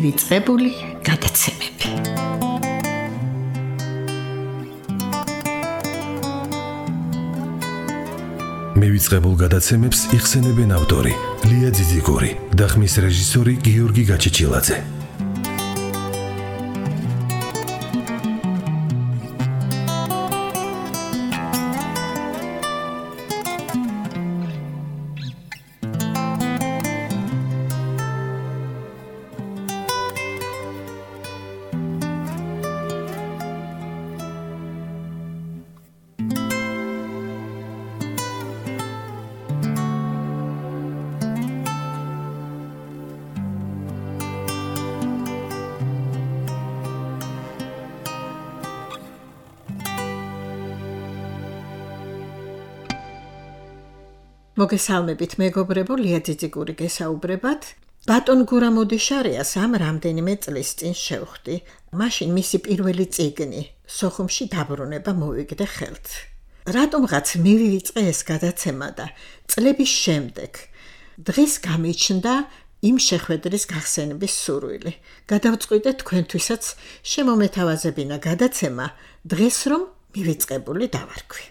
მივიწყებული გადაცემები. მივიწყებულ გადაცემებს იხსენებენ ავტორი ლია ძიძიგური და ხმის რეჟისორი გიორგი გაჩეჩილაძე. მოგესალმებით მეგობრებო, ლია ძიძიგური გესაუბრებათ. ბატონ გურამოდიშარიას ამ რამდენიმე წლის წინ შევხვდი. მაშინ მისი პირველი წიგნი, სოხუმში დაბრუნება მოვიგდე ხელთ. რატომღაც მივიწყე ეს გადაცემა და წლების შემდეგ დღეს გამიჩნდა იმ შეხვედრის გახსენების სურვილი. გადავწყვიტე თქვენთვისაც შემომეთავაზებინა გადაცემა დღეს რომ მივიწყებული დავარქვი.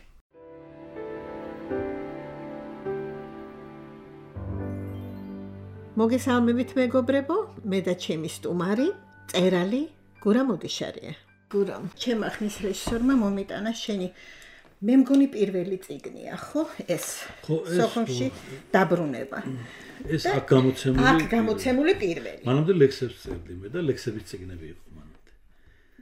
მოგესალმებით მეგობრებო, მე და ჩემი სტუმარი, წერალი გურამოდიშარია. გურამ, ჩემ ახნის რეჟისორმა მომიტანა შენი მე მგონი პირველი წიგნია, ხო? ეს სოხუმში დაბრუნება. ეს აქ გამოცემული პირველი. მანამდე ლექსებს წერდი მე და ლექსების წიგნები იყო მანამდე.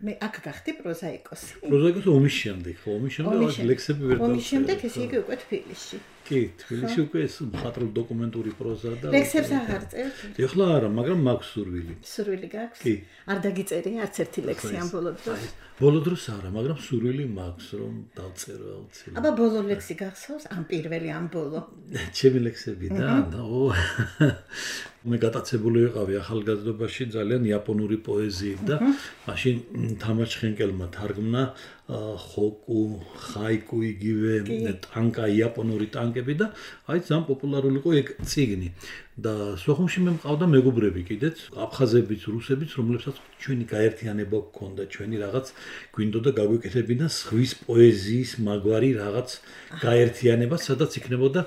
მე აქ გახდი პროზაიკოსი. პროზაიკოსი ომის შემდეგ, ხო, ომის შემდეგ ლექსები ვერ დავწერდი. ომის შემდეგ ესე იგი უკვე თბილისში. კი, თბილისში უკვე ეს მხატვრული დოკუმენტური პროზა და ლექსებს აღარ წერთ? ეხლა არა, მაგრამ მაქვს სურვილი. სურვილი გაქვს? კი. არ დაგიწერია არც ერთი ლექსი ამ ბოლო დროს? ბოლო დროს არა, მაგრამ სურვილი მაქვს რომ დავწერო აუცილებლად. აბა ბოლო ლექსი გახსოვს? ამ პირველი, ამ ბოლო. ჩემი ლექსები და მე გატაცებული ვიყავი ახალგაზრდობაში ძალიან იაპონური პოეზიით და მაშინ თამარ ჩხენკელმა თარგმნა ხოკუ, ხაიკუ იგივე ტანკა, იაპონური ტანკები და აი ძალიან პოპულარული იყო ეგ წიგნი. და სოხუმში მე მყავდა მეგობრები კიდეც, აფხაზებიც, რუსებიც, რომლებსაც ჩვენი გაერთიანება გქონდა, ჩვენი რაღაც გვინდოდა გაგვეკეთებინა ზღვის პოეზიის მაგვარი რაღაც გაერთიანება, სადაც იქნებოდა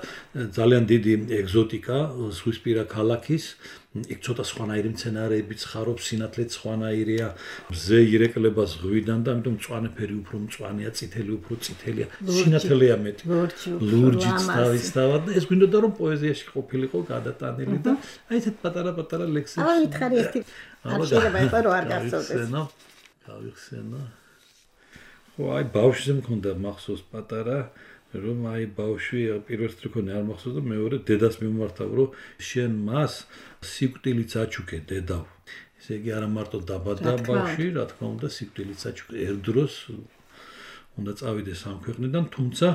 ძალიან დიდი ეგზოტიკა ზღვისპირა ქალაქის. იქ ცოტა სხვანაირი მცენარეები ცხარობს, სინათლე სხვანაირია, მზე ირეკლება ზღვიდან და ამიტომ მწვანეფერი უფრო მწვანეა, წითელი უფრო წითელია, სინათლეა მეტი. ლურჯიც თავისთავად და ეს გვინდოდა რომ პოეზიაში ყოფილიყო გადატანილი და აი ესეთ პატარა ლექსები. აუ მითხარი ერთი არ შეიძლება იყო რომ არ გახსოვდეს. გავიხსენო. ხო, აი ბავშვზე მქონდა მახსოვს პატარა რომ აი ბავშვი პირველ რიგში არ მახსოვს და მეორე დედას მიმართავ რომ შენ მას სიკვდილიც აჩუქე დედავ. ესე იგი არა მარტო დაბადა ბავშვი, რა თქმა უნდა სიკვდილიც აჩუქე. ერთდროს უნდა წავიდეს ამ ქვეყნიდან, თუმცა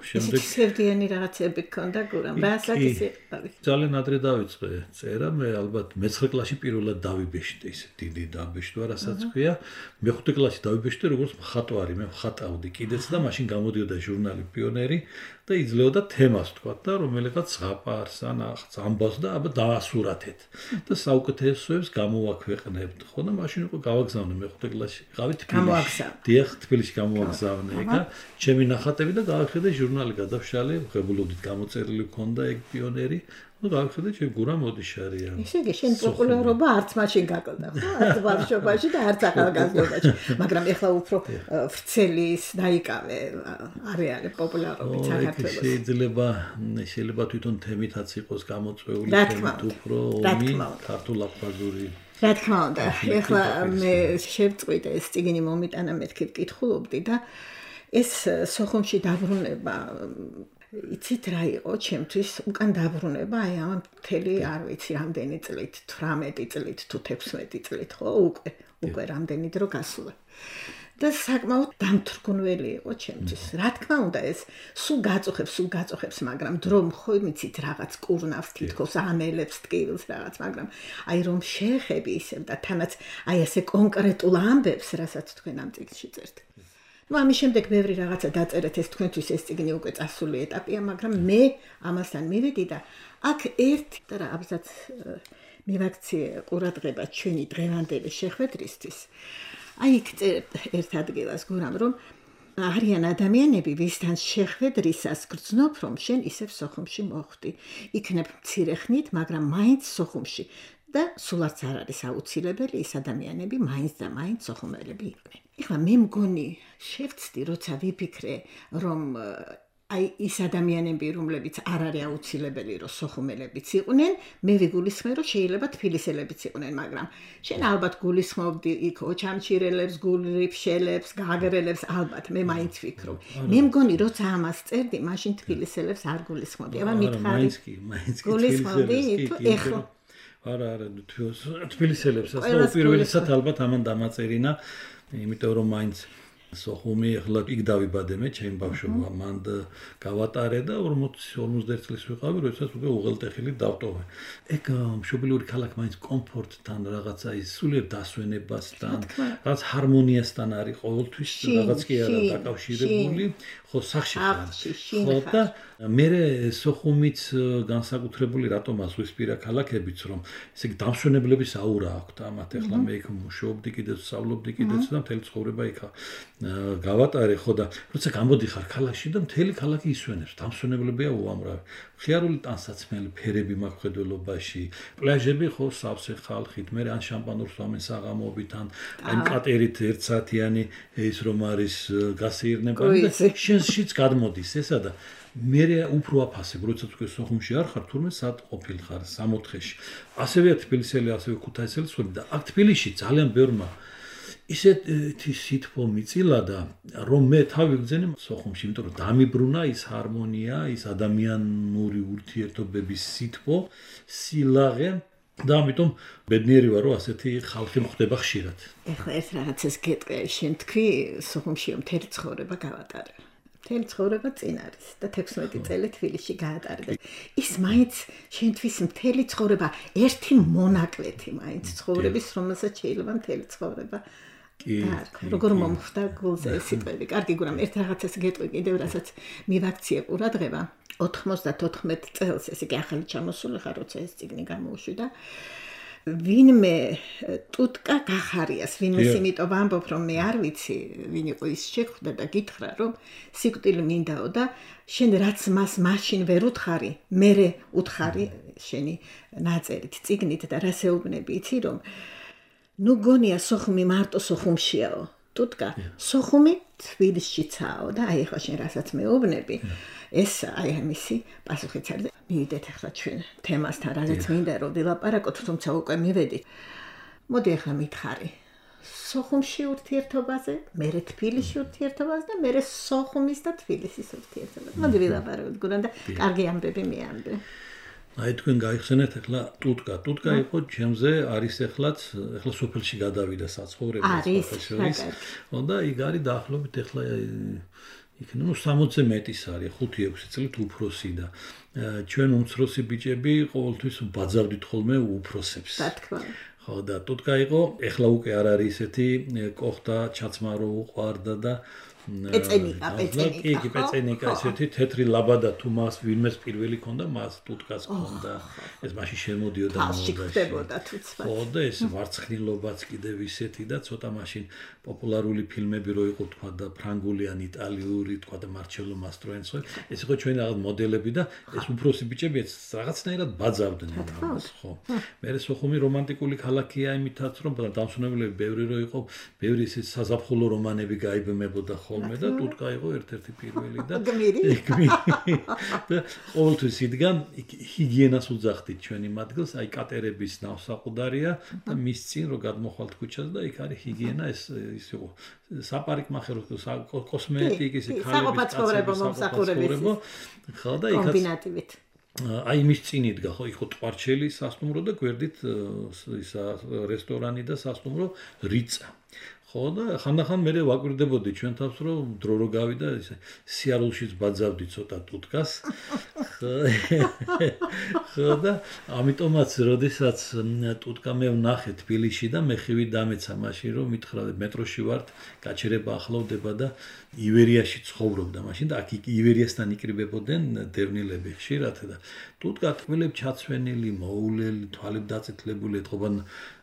შემდეგ სევდიანი რაღაცები გქონდა გურამ. რასაც ისე ძალიან ადრე დავიწყე წერა, მე ალბათ მე-9 კლასში პირველად დავიბეშტე ისე დიდი დაბეშტვა, რასაც ქვია. მე-5 კლასში დავიბეშტე როგორც მხატვარი, მე მხატავდი კიდეც და მაშინ გამოდიოდა ჟურნალი პიონერი და იძლეოდა თემას თქვა და რომელიღაც ზღაპარს ან ამბავს და აბა დაასურათეთ და საუკეთესოებს გამოვაქვეყნებთ. ხო და მაშინ უკვე გავაგზავნე მე-5 კლასში. ყავი თბილისში. დიახ, თბილისში გამოვაგზავნე ეგა ჩემი ნახატები და გავახედე ჟურნალი გადავშალე, ღებულობდით გამოწერილი მქონდა ეგ პიონერი. და გავხედე ჩემ გურამოდიშარია. ესე იგი შენ პოპულარობა არც მაშინ გაკლდა, ხო? არც ბავშვობაში და არც ახალგაზრდობაში. მაგრამ ეხლა უფრო ვრცელის დაიკავე არეალი პოპულარობით საქართველოს. შეიძლება თვითონ თემითაც იყოს გამოწვეული თემით უფრო ომი, ქართულ-აფხაზური. რა თქმა უნდა, ეხლა მე შევწყვიტე ეს წიგნი მომიტანა მეთქით კითხულობდი და ეს სოხუმში დაბრუნება იცით რა იყო ჩემთვის უკან დაბრუნება აი ამ მთელი არ ვიცი რამდენი წლით 18 წლით თუ 16 წლით ხო უკვე რამდენი დრო გასულა და საკმაოდ დამთრგუნველი იყო ჩემთვის რა თქმა უნდა ეს სულ გაწუხებს მაგრამ დრო ხო მიცით რაღაც კურნავს თითქოს ამელებს ტკივილს რაღაც მაგრამ აი რომ შეეხები ისევ და თანაც აი ასე კონკრეტულ ამბებს რასაც თქვენ ამ წიგნში წერთ ამის შემდეგ ბევრი რაღაცა დაწერეთ ეს თქვენთვის ეს წიგნი უკვე წასული ეტაპია, მაგრამ მე ამასთან მივედი და აქ ერთ და აბზაც მივაქციე ყურადღება ჩვენი დღევანდელი შეხვედრისთვის. აი იქ ერთ ადგილას გურამ რომ არიან ადამიანები, ვისთან შეხვედრისას გრძნობ, რომ შენ ისევ სოხუმში მოხვდი. იქნებ მცირე ხნით, მაგრამ მაინც სოხუმში და სულ არც არ არის აუცილებელი ის ადამიანები მაინც და მაინც სოხუმელები იყვნენ. ეხლა მე მგონი შევცდი, როცა ვიფიქრე, რომ აი ის ადამიანები, რომლებიც არ არის აუცილებელი, რომ სოხუმელებიც იყვნენ, მე ვიგულისხმე, რომ შეიძლება თბილისელებიც იყვნენ, მაგრამ შენ ალბათ გულისხმობდი იქ ოჩამჩირელებს, გულრიფშელებს, გაგრელებს, ალბათ მე მაინც ვფიქრობ. მე მგონი, როცა ამას წერდი, მაშინ თბილისელებს არ გულისხმობდი. აბა მითხარი. მაინც კი გულისხმობდი, თუ ეხლა არა, თბილისელებსაც და უპირველესად ალბათ ამან დამაწერინა, იმიტომ რომ მაინც სოხუმი ახლა იქ დავიბადე მე ჩემ ბავშვობა მან გავატარე და 40-51 წლის ვიყავი, როდესაც უკვე უღელტეხილი დავტოვე. ეგ მშობლიური ქალაქი მაინც კომფორტთან რაღაცა ის სულიერ დასვენებასთან, რაღაც ჰარმონიასთან არის ყოველთვის რაღაც კი არა დაკავშირებული, ხო სახში ხო და მე სოხუმიც განსაკუთრებული რატომ ასვისპირა ქალაქებიც რომ ესე იგი დამსვენებლების აურა აქვს ამათ ახლა მე იქ მუშაობდი კიდეც სწავლობდი კიდეც და მთელი ცხოვრება იქ გავატარე ხო და როცა გამოდიხარ ქალაქში და მთელი ქალაქი ისვენებს დამსვენებლებია უამრავი ხიარული ტანსაცმელი ფერები მაქვს ხედველობაში პლაჟები ხო სავსე ხალხით მე ან შამპანურს ვამენ საღამოობით ან აი კატერით ერთსათიანი ის რომ არის გასეირნება და შენშიც გადმოდის ესა და მე უფრო აფასებ, როდესაც უკვე სოხუმში არ ხარ, თურმე სად ყოფილ ხარ 64-ში. ასევე თბილისელი, ასევე ქუთაისელი სწორი და აქ თბილისში ძალიან ბევრმა ისეთი სითბო მიწილა და რომ მე თავი ვგზენე სოხუმში, იმიტომ რომ დამიბრუნა ის ჰარმონია, ის ადამიანური ურთიერთობების სითბო, სილაღე და ამიტომ ბედნიერი ვარ, რომ ასეთი ხალხი მხვდება ხშირად. ეხლა ეს რაღაცას გეტყვი, შენ თქვი სოხუმში მთელი ცხოვრება გავატარე. მთელი ცხოვრება წინ არის და 16 წელი თბილისში გაატარე და ის მაინც შენთვის მთელი ცხოვრება ერთი მონაკვეთი მაინც ცხოვრების, რომელსაც შეიძლება მთელი ცხოვრება როგორ მომხვდა გულზე სიტყვები. კარგი გურამ, ერთ რაღაცას გეტყვი კიდევ, რასაც მივაქციე ყურადღება 94 წელს, ესე იგი ახალი ჩამოსული ხარ, როცა ეს წიგნი გამოუშვი და ვინმე ტუტკა გახარიას, ვინმე იმიტომ ვამბობ, რომ მე არ ვიცი, ვინ იყო ის შეხვდა და გითხრა, რომ სიკვდილი მინდაო და შენ რაც მას მაშინ ვერ უთხარი, მერე უთხარი შენი ნაწერით წიგნით და რას ეუბნები, იცი რომ ნუ გონია სოხუმი მარტო სოხუმშიაო, ტუტკა სოხუმი თბილისშიცაო და აი ახლა შენ რასაც მეუბნები, ეს აი ამისი პასუხიც არის და მივიდეთ ახლა ჩვენ თემასთან, რაზეც მინდა რომ ვილაპარაკოთ, თუმცა უკვე მივედით. მოდი ახლა მითხარი. სოხუმში ურთიერთობაზე, მერე თბილისში ურთიერთობაზე და მერე სოხუმის და თბილისის ურთიერთობაზე. მოდი ვილაპარაკოთ გურამ და კარგი ამბები მეამბე. აი თქვენ გაიხსენეთ ახლა ტუტკა. ტუტკა იყო ჩემზე არის ახლა სოფელში გადავიდა საცხოვრებლად სოფელში. და იქ არის დაახლოებით ახლა იქნება 60-ზე მეტის არის 5-6 წლით უფროსი და ჩვენ უმცროსი ბიჭები ყოველთვის ბაძავდით ხოლმე უფროსებს. ხო და ტუტკა იყო, ეხლა უკვე არ არის ესეთი კოხტა ჩაცმარო უყვარდა და პეწენიკა ესეთი თეთრი ლაბადა თუ მას ვინმეს პირველი ქონდა მას ტუტკას ქონდა ეს მაშინ შემოდიოდა მოდაში ხო და ეს ვარცხნილობაც კიდევ ისეთი და ცოტა მაშინ პოპულარული ფილმები რო იყო თქვა და ფრანგული ან იტალიური თქვა და მარჩელო მასტროენცო ეს იყო ჩვენი რაღაც მოდელები და ეს უფროსი ბიჭები ეს რაღაცნაირად ბაძავდნენ ხო მე სოხუმი რომანტიკული ქალაქია იმითაც რომ დამსვენებლები ბევრი რო იყო ბევრი ეს საზაფხულო რომანები გაიბმებოდა ხოლმე და ტუტკა იყო ერთ-ერთი პირველი და ყოველთვის იდგა ჰიგიენას უძახდით ჩვენი მათგილს აი კატერების ნავსაყუდარია და მის წინ რო გადმოხვალთ ქუჩას და იქ არის ჰიგიენა ეს იყო საპარიკმახერო კოსმეტიკის ქალების მომსახურებო ხო და იქაც კომბინატივით აი მის წინ იდგა ხო იყო ტყვარჩელი სასტუმრო და გვერდით ისა რესტორანი და სასტუმრო რიცა ხო და ხანდახან მე ვაკვირდებოდი ჩვენ თავს რომ დრო რო გავიდა ისე სიარულშიც ბაძავდი ცოტა ტუტკას ხო და ამიტომაც როდესაც ტუტკა მე ვნახე თბილისში და მე ხივი დამეცა მაშინ რომ მითხრა მეტროში ვართ გაჩერება ახლოვდება და ივერიაში ცხოვრობდა მაშინ და აქ ივერიასთან იკრიბებოდნენ დევნილები ხშირად და ტუტკა თბილებს ჩაცვენილი მოულელი თვალები დაწითლებული ეთყობა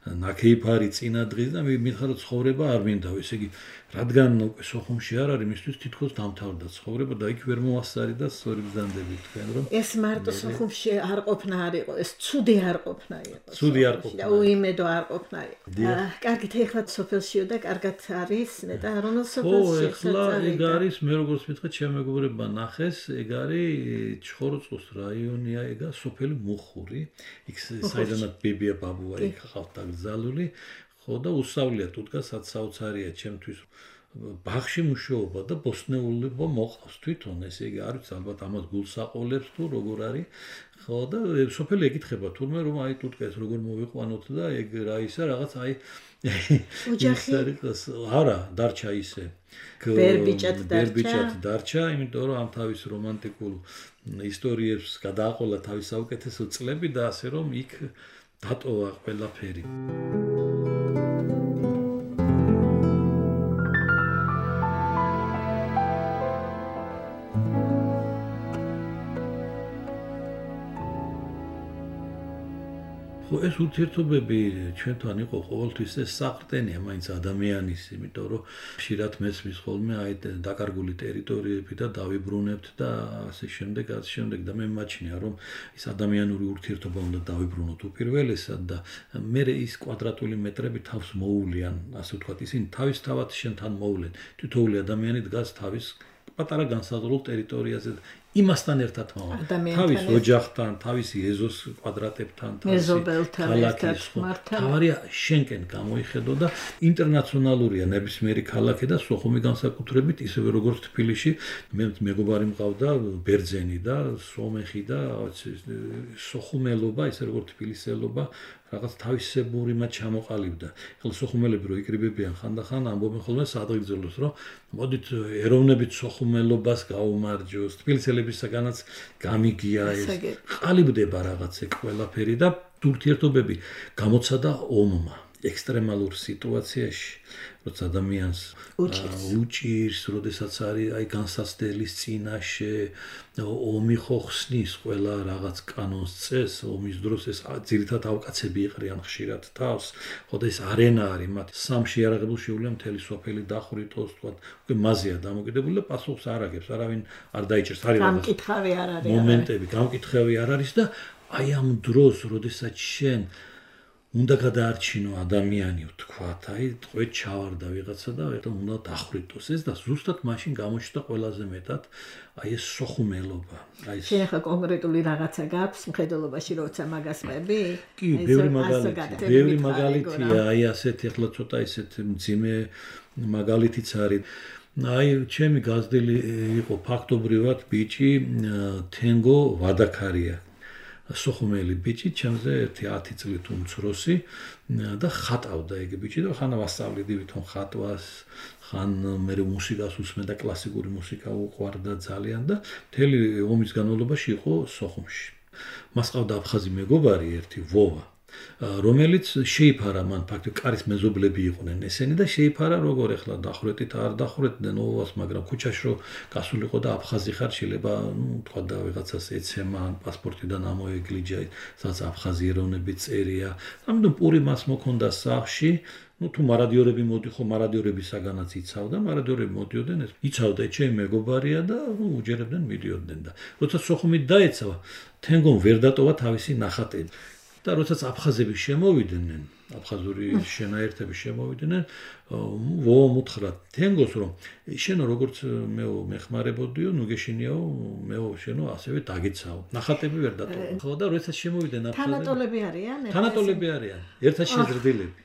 ნაკეიფარი წინა დღის და მითხრა რომ ცხოვრება არ მინდა ესე იგი რადგან უკვე სოხუმში არ არის მისთვის თითქოს დამთავრდა ცხოვრება და იქ ვერ მოასწარი და სწორი ბრძანდები თქვენ რომ ეს მარტო სოხუმში არ ყოფნა არ იყო ეს ცუდი არ ყოფნა იყო ცუდი არ ყოფნა უიმედო არ ყოფნა იყო კარგით ეხლა სოფელშიო და კარგად არის ნეტა რომელ სოფელში ეხლა ეგ არის მე როგორც მითხრა ჩემ მეგობრებმა ნახეს ეგ არის ჩხოროწყუს რაიონია ეგა სოფელი მუხური იქ საიდანაც ბებია ბაბუა იქ ხავთ დაგზალული ხო და უსავლია ტუტკა საცაუცარია ჩემთვის ბაღში მუშაობა და ბოსნეულობა მოყავს თვითონ ესე იგი არის ალბათ ამას გულსაყოლებს თუ როგორ არის ხო და სოფელი ეკითხება თურმე რომ აი ტუტკა ეს როგორ მოვიყვანოთ და ეგ რა ისა რაღაც აი ოჯახი არა დარჩა ისე ბერბიჭად დარჩა იმიტომ რომ ამ თავის რომანტიკულ ისტორიებს გადააყოლა თავის საუკეთესო წლები და ასე რომ იქ დატოვა ყველაფერი ხო ეს ურთიერთობები ჩვენთან იყო ყოველთვის ეს საყრდენია მაინც ადამიანის იმიტომ რომ ხშირად მესმის ხოლმე აი დაკარგული ტერიტორიები და დავიბრუნებთ და ასე შემდეგ და მე მაჩნია რომ ის ადამიანური ურთიერთობა უნდა დავიბრუნოთ უპირველესად და მე ის კვადრატული მეტრები თავს მოულიან ასე ვთქვათ ისინი თავისთავად შენთან მოვლენ თითოეული ადამიანი დგას თავის პატარა განსაზღვრულ ტერიტორიაზე იმასთან ერთად მოვა თავის ოჯახთან, თავისი ეზოს კვადრატებთან, ქალაქის თავარია შენკენ გამოიხედო და ინტერნაციონალურია ნებისმიერი ქალაქი და სოხუმი განსაკუთრებით ისევე როგორც თბილისში მე მეგობარი მყავდა ბერძენი და სომეხი და სოხუმელობა ისე როგორც თბილისელობა რაღაც თავისებური მათ ჩამოყალიბდა. ეხლა სოხუმელები რო იკრიბებიან ხანდახან ამბობენ ხოლმე სადღეგრძელოს რომ მოდით ეროვნებით სოხუმელობას გაუმარჯოს. თბილისელებისაგანაც გამიგია ეს. ყალიბდება რაღაც ეგ ყველაფერი და ურთიერთობები გამოცადა ომმა. ექსტრემალურ სიტუაციაში, როცა ადამიანს უჭირს, როდესაც არის აი განსაცდელის წინაშე, ომი ხო ხსნის ყველა რაღაც კანონს წეს, ომის დროს ეს ძირითადად ავკაცები იყრიან ხშირად თავს, ხო და ეს არენა არის მათ სამში არაღებულ შეუძლია მთელი სოფელი დახვრიტოს, თქვა, უკვე მაზეა დამოკიდებული და პასუხს არ აგებს, არავინ არ დაიჭერს, არის რაღაც გამკითხავი არ არის. მომენტები, გამკითხავი არ არის და აი ამ დროს, როდესაც შენ უნდა გადაარჩინო ადამიანი ვთქვათ, აი ტყვედ ჩავარდა ვიღაცა და უნდა დახვრიტოს ეს და ზუსტად მაშინ გამოჩნდა ყველაზე მეტად აი ეს სოხუმელობა. აი ეს შენ ახლა კონკრეტული რაღაცა გაქვს მხედველობაში როცა მაგას ყვები? კი, ბევრი მაგალითია, აი ასეთი ახლა ცოტა ისეთ მძიმე მაგალითიც არის. აი ჩემი გაზრდილი იყო ფაქტობრივად ბიჭი თენგო ვადაქარია. სოხუმელი ბიჭი, ჩემზე 10 წლით უმცროსი და ხატავდა ეგ ბიჭი და ხან ვასწავლედი ვითომ ხატვას, ხან მე მუსიკას უსმენდა, კლასიკური მუსიკა უყვარდა ძალიან და მთელი ომის განმავლობაში იყო სოხუმში. მას ყავდა აფხაზი მეგობარი ერთი ვოვა, რომელიც შეიფარა მან ფაქტობრივად კარის მეზობლები იყვნენ ესენი და შეიფარა როგორ ეხლა დახვრეტით არ დახვრეტდნენ ოვას, მაგრამ ქუჩაში რო გასულიყო და აფხაზი ხარ შეიძლება, თქვა და ვიღაცას ეცემა ან პასპორტიდან ამოეგლიჯა, სადაც აფხაზი ეროვნები წერია. ამიტომ პური მას მოქონდა სახში, თუ მარადიორები მოდიხო, მარადიორებისაგანაც იცავდა, მარადიორები მოდიოდნენ, ეს იცავდა ჩემი მეგობარია და უჯერებდნენ მიდიოდნენ და როცა სოხუმით დაეცავა, თენგომ ვერ დატოვა თავისი ნახატები. და როდესაც აფხაზები შემოვიდნენ, აფხაზური შენაერთები შემოვიდნენ, ვოამ უთხრა თენგოს რომ შენო როგორც მეო მეხმარებოდიო, ნუ გეშინიაო, მეო შენო ასევე დაგეცაო. ნახატები ვერ დატოვა. ხო და როდესაც შემოვიდნენ აფხაზები. თანატოლები არიან? თანატოლები არიან. ერთად შეზრდილები.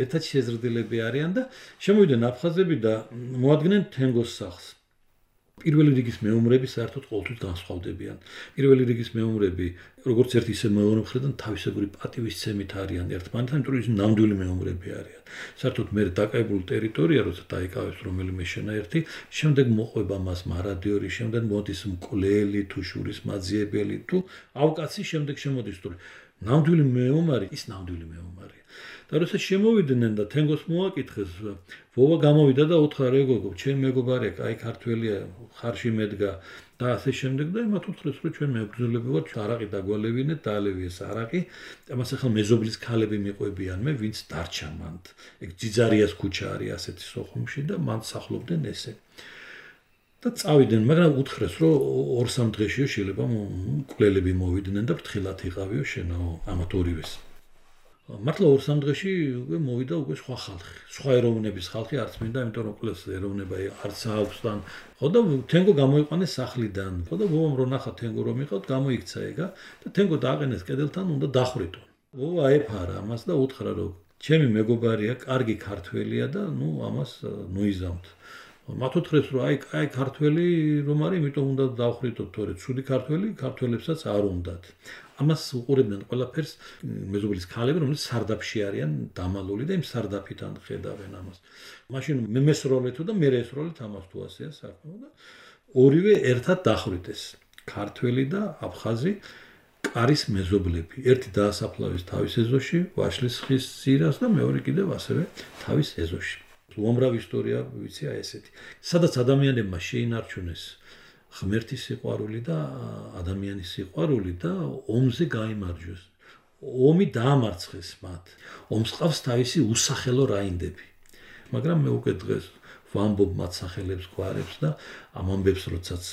ერთად შეზრდილები არიან და შემოვიდნენ აფხაზები და მოადგნენ თენგოს სახლს. პირველი რიგის მეომრები საერთოდ ყოველთვის განსხვავდებიან. პირველი რიგის მეომრები, როგორც ერთ ისე მეორე მხრიდან თავისებური პატივისცემით არიან ერთმანეთთან, იმიტომ რომ ის ნამდვილი მეომრები არიან. საერთოდ მე დაკავებული ტერიტორია, როცა დაიკავებს რომელიმე შენაერთი, შემდეგ მოყვება მას მარადიორი, შემდეგ მოდის მკვლელი თუ შურის მაძიებელი თუ ავკაცი, შემდეგ შემოდის თუ ნამდვილი მეომარი, ის ნამდვილი მეომარია. და როცა შემოვიდნენ და თენგოს მოაკითხეს, ვოვა გამოვიდა და უთხრა რეგოგო, ჩემი მეგობარია, კაი ქართველია, ხარში მედგა და ასე შემდეგ და მათ უთხრეს, რომ ჩვენ მებრძოლები ვართ, არაყი დაგვალევინეთ, დაალევიეს არაყი, ამას ახლა მეზობლის ქალები მიყვებიან მე, ვინც დარჩა მანდ. ეგ ძიძარიას ქუჩა არის ასეთი სოხუმში და მან სახლობდნენ ესე. და წავიდნენ, მაგრამ უთხრეს, რომ 2-3 დღეშიო შეიძლება მკვლელები მოვიდნენ და ფრთხილად იყავიო შენაო ამათ ორივეს. მართლა 2-3 დღეში უკვე მოვიდა უკვე სხვა ხალხი, სხვა ეროვნების ხალხი არც მინდა, იმიტომ რომ ყველას ეროვნება არც აქვს და ხო და თენგო გამოიყვანეს სახლიდან. ხო და ვოვამ რო ნახა თენგო რომ იყავთ, გამოიქცა ეგა და თენგო დააყენეს კედელთან, უნდა დახრიტონ. ვოვა აეფარა ამას და უთხრა რომ ჩემი მეგობარია, კარგი ქართველია და ნუ ამას ნუიზამთ. მათ უთხრეს რომ აი ქართველი რომ არის, იმიტომ უნდა დავხრიტოთ, თორე ცუდი ქართველებსაც არ უნდათ. ამას უყურებდნენ ყველაფერს მეზობლის ქალები, რომლებიც სარდაფში არიან დამალული და იმ სარდაფიდან ხედავენ ამას. მაშინ მე მესროლეთო და მე ესროლეთ ამას თუ ასეა საქმე და ორივე ერთად დახრიტეს. ქართველი და აფხაზი კარის მეზობლები. ერთი დაასაფლავეს თავის ეზოში, ვაშლის ხის ძირას და მეორე კიდევ ასევე თავის ეზოში. უამრავი ისტორია ვიცი აი ესეთი. სადაც ადამიანებმა შეინარჩუნეს ღმერთის სიყვარული და ადამიანის სიყვარული და ომზე გაიმარჯვეს. ომი დაამარცხეს მათ. ომს ყავს თავისი უსახელო რაინდები. მაგრამ მე უკვე დღეს ვამბობ მათ სახელებს გვარებს და ამ ამბებს როდესაც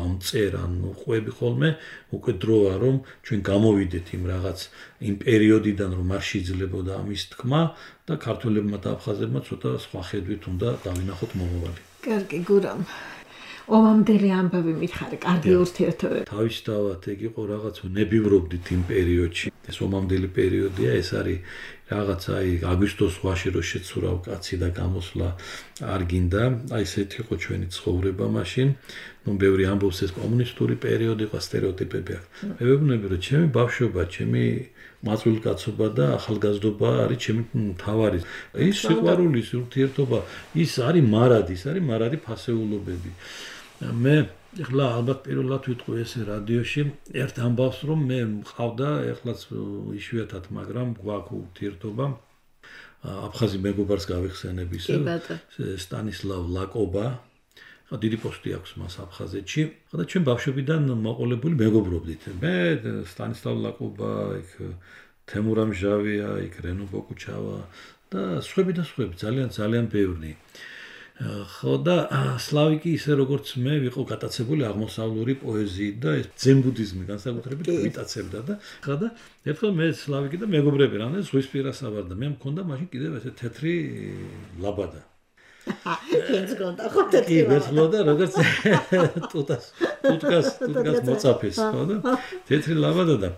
ამწერან ყვები ხოლმე უკვე დროა რომ ჩვენ გამოვიდეთ იმ პერიოდიდან რომ არ შეიძლებოდა ამის თქმა და ქართველებმა და აფხაზებმა ცოტა სხვა ხედვით უნდა დავინახოთ მომავალი. კარგი გურამ. ომამდელი ამბავი მითხარი, კარგი ურთიერთობები. თავისთავად ეგ იყო რაღაც ნებივრობდით იმ პერიოდში. ეს ომამდელი პერიოდია, ეს არის რაღაც აი აგვისტოს ზღვაში რო შეცურავ კაცი და გამოსვლა არ გინდა. აი ესეთი იყო ჩვენი ცხოვრება მაშინ. ნუ ბევრი ამბობს ეს კომუნისტური პერიოდი იყო, სტერეოტიპები აქვს. მე ვეუბნები რომ ჩემი ბავშვობა, ჩემი მაწვილკაცობა და ახალგაზრდობა არის ჩემი მთავარი. ის სიყვარული, ურთიერთობა, ის არის მარადი ფასეულობები. მე ეხლა ალბათ პირველად ვიტყვი ესე რადიოში ერთ ამბავს რომ მე მყავდა ეხლაც იშვიათად მაგრამ გვაქვს ურთიერთობა აფხაზი მეგობარს გავიხსენებ ისე სტანისლავ ლაკობა ხა დიდი პოსტი აქვს მას აფხაზეთში და ჩვენ ბავშვობიდან მოყოლებული მეგობრობდით მე სტანისლავ ლაკობა იქ თემურამ ჟავია იქ რენო ბოკუჩავა და სხვები ძალიან ბევრი ხო და სლავიკი ისე როგორც მე ვიყო გატაცებული აღმოსავლური პოეზიით და ეს ძენ-ბუდიზმი განსაკუთრებით გვიტაცებდა და ხა და ერთხელ მე სლავიკი და მეგობრები რამე ზღვისპირას ავარდა მე მქონდა მაშინ კიდევ ესე თეთრი ლაბადა ეს გონდა ხო თეთრი ლაბადა როგორც ტუტკას მოწაფეს ხო და თეთრი ლაბადა და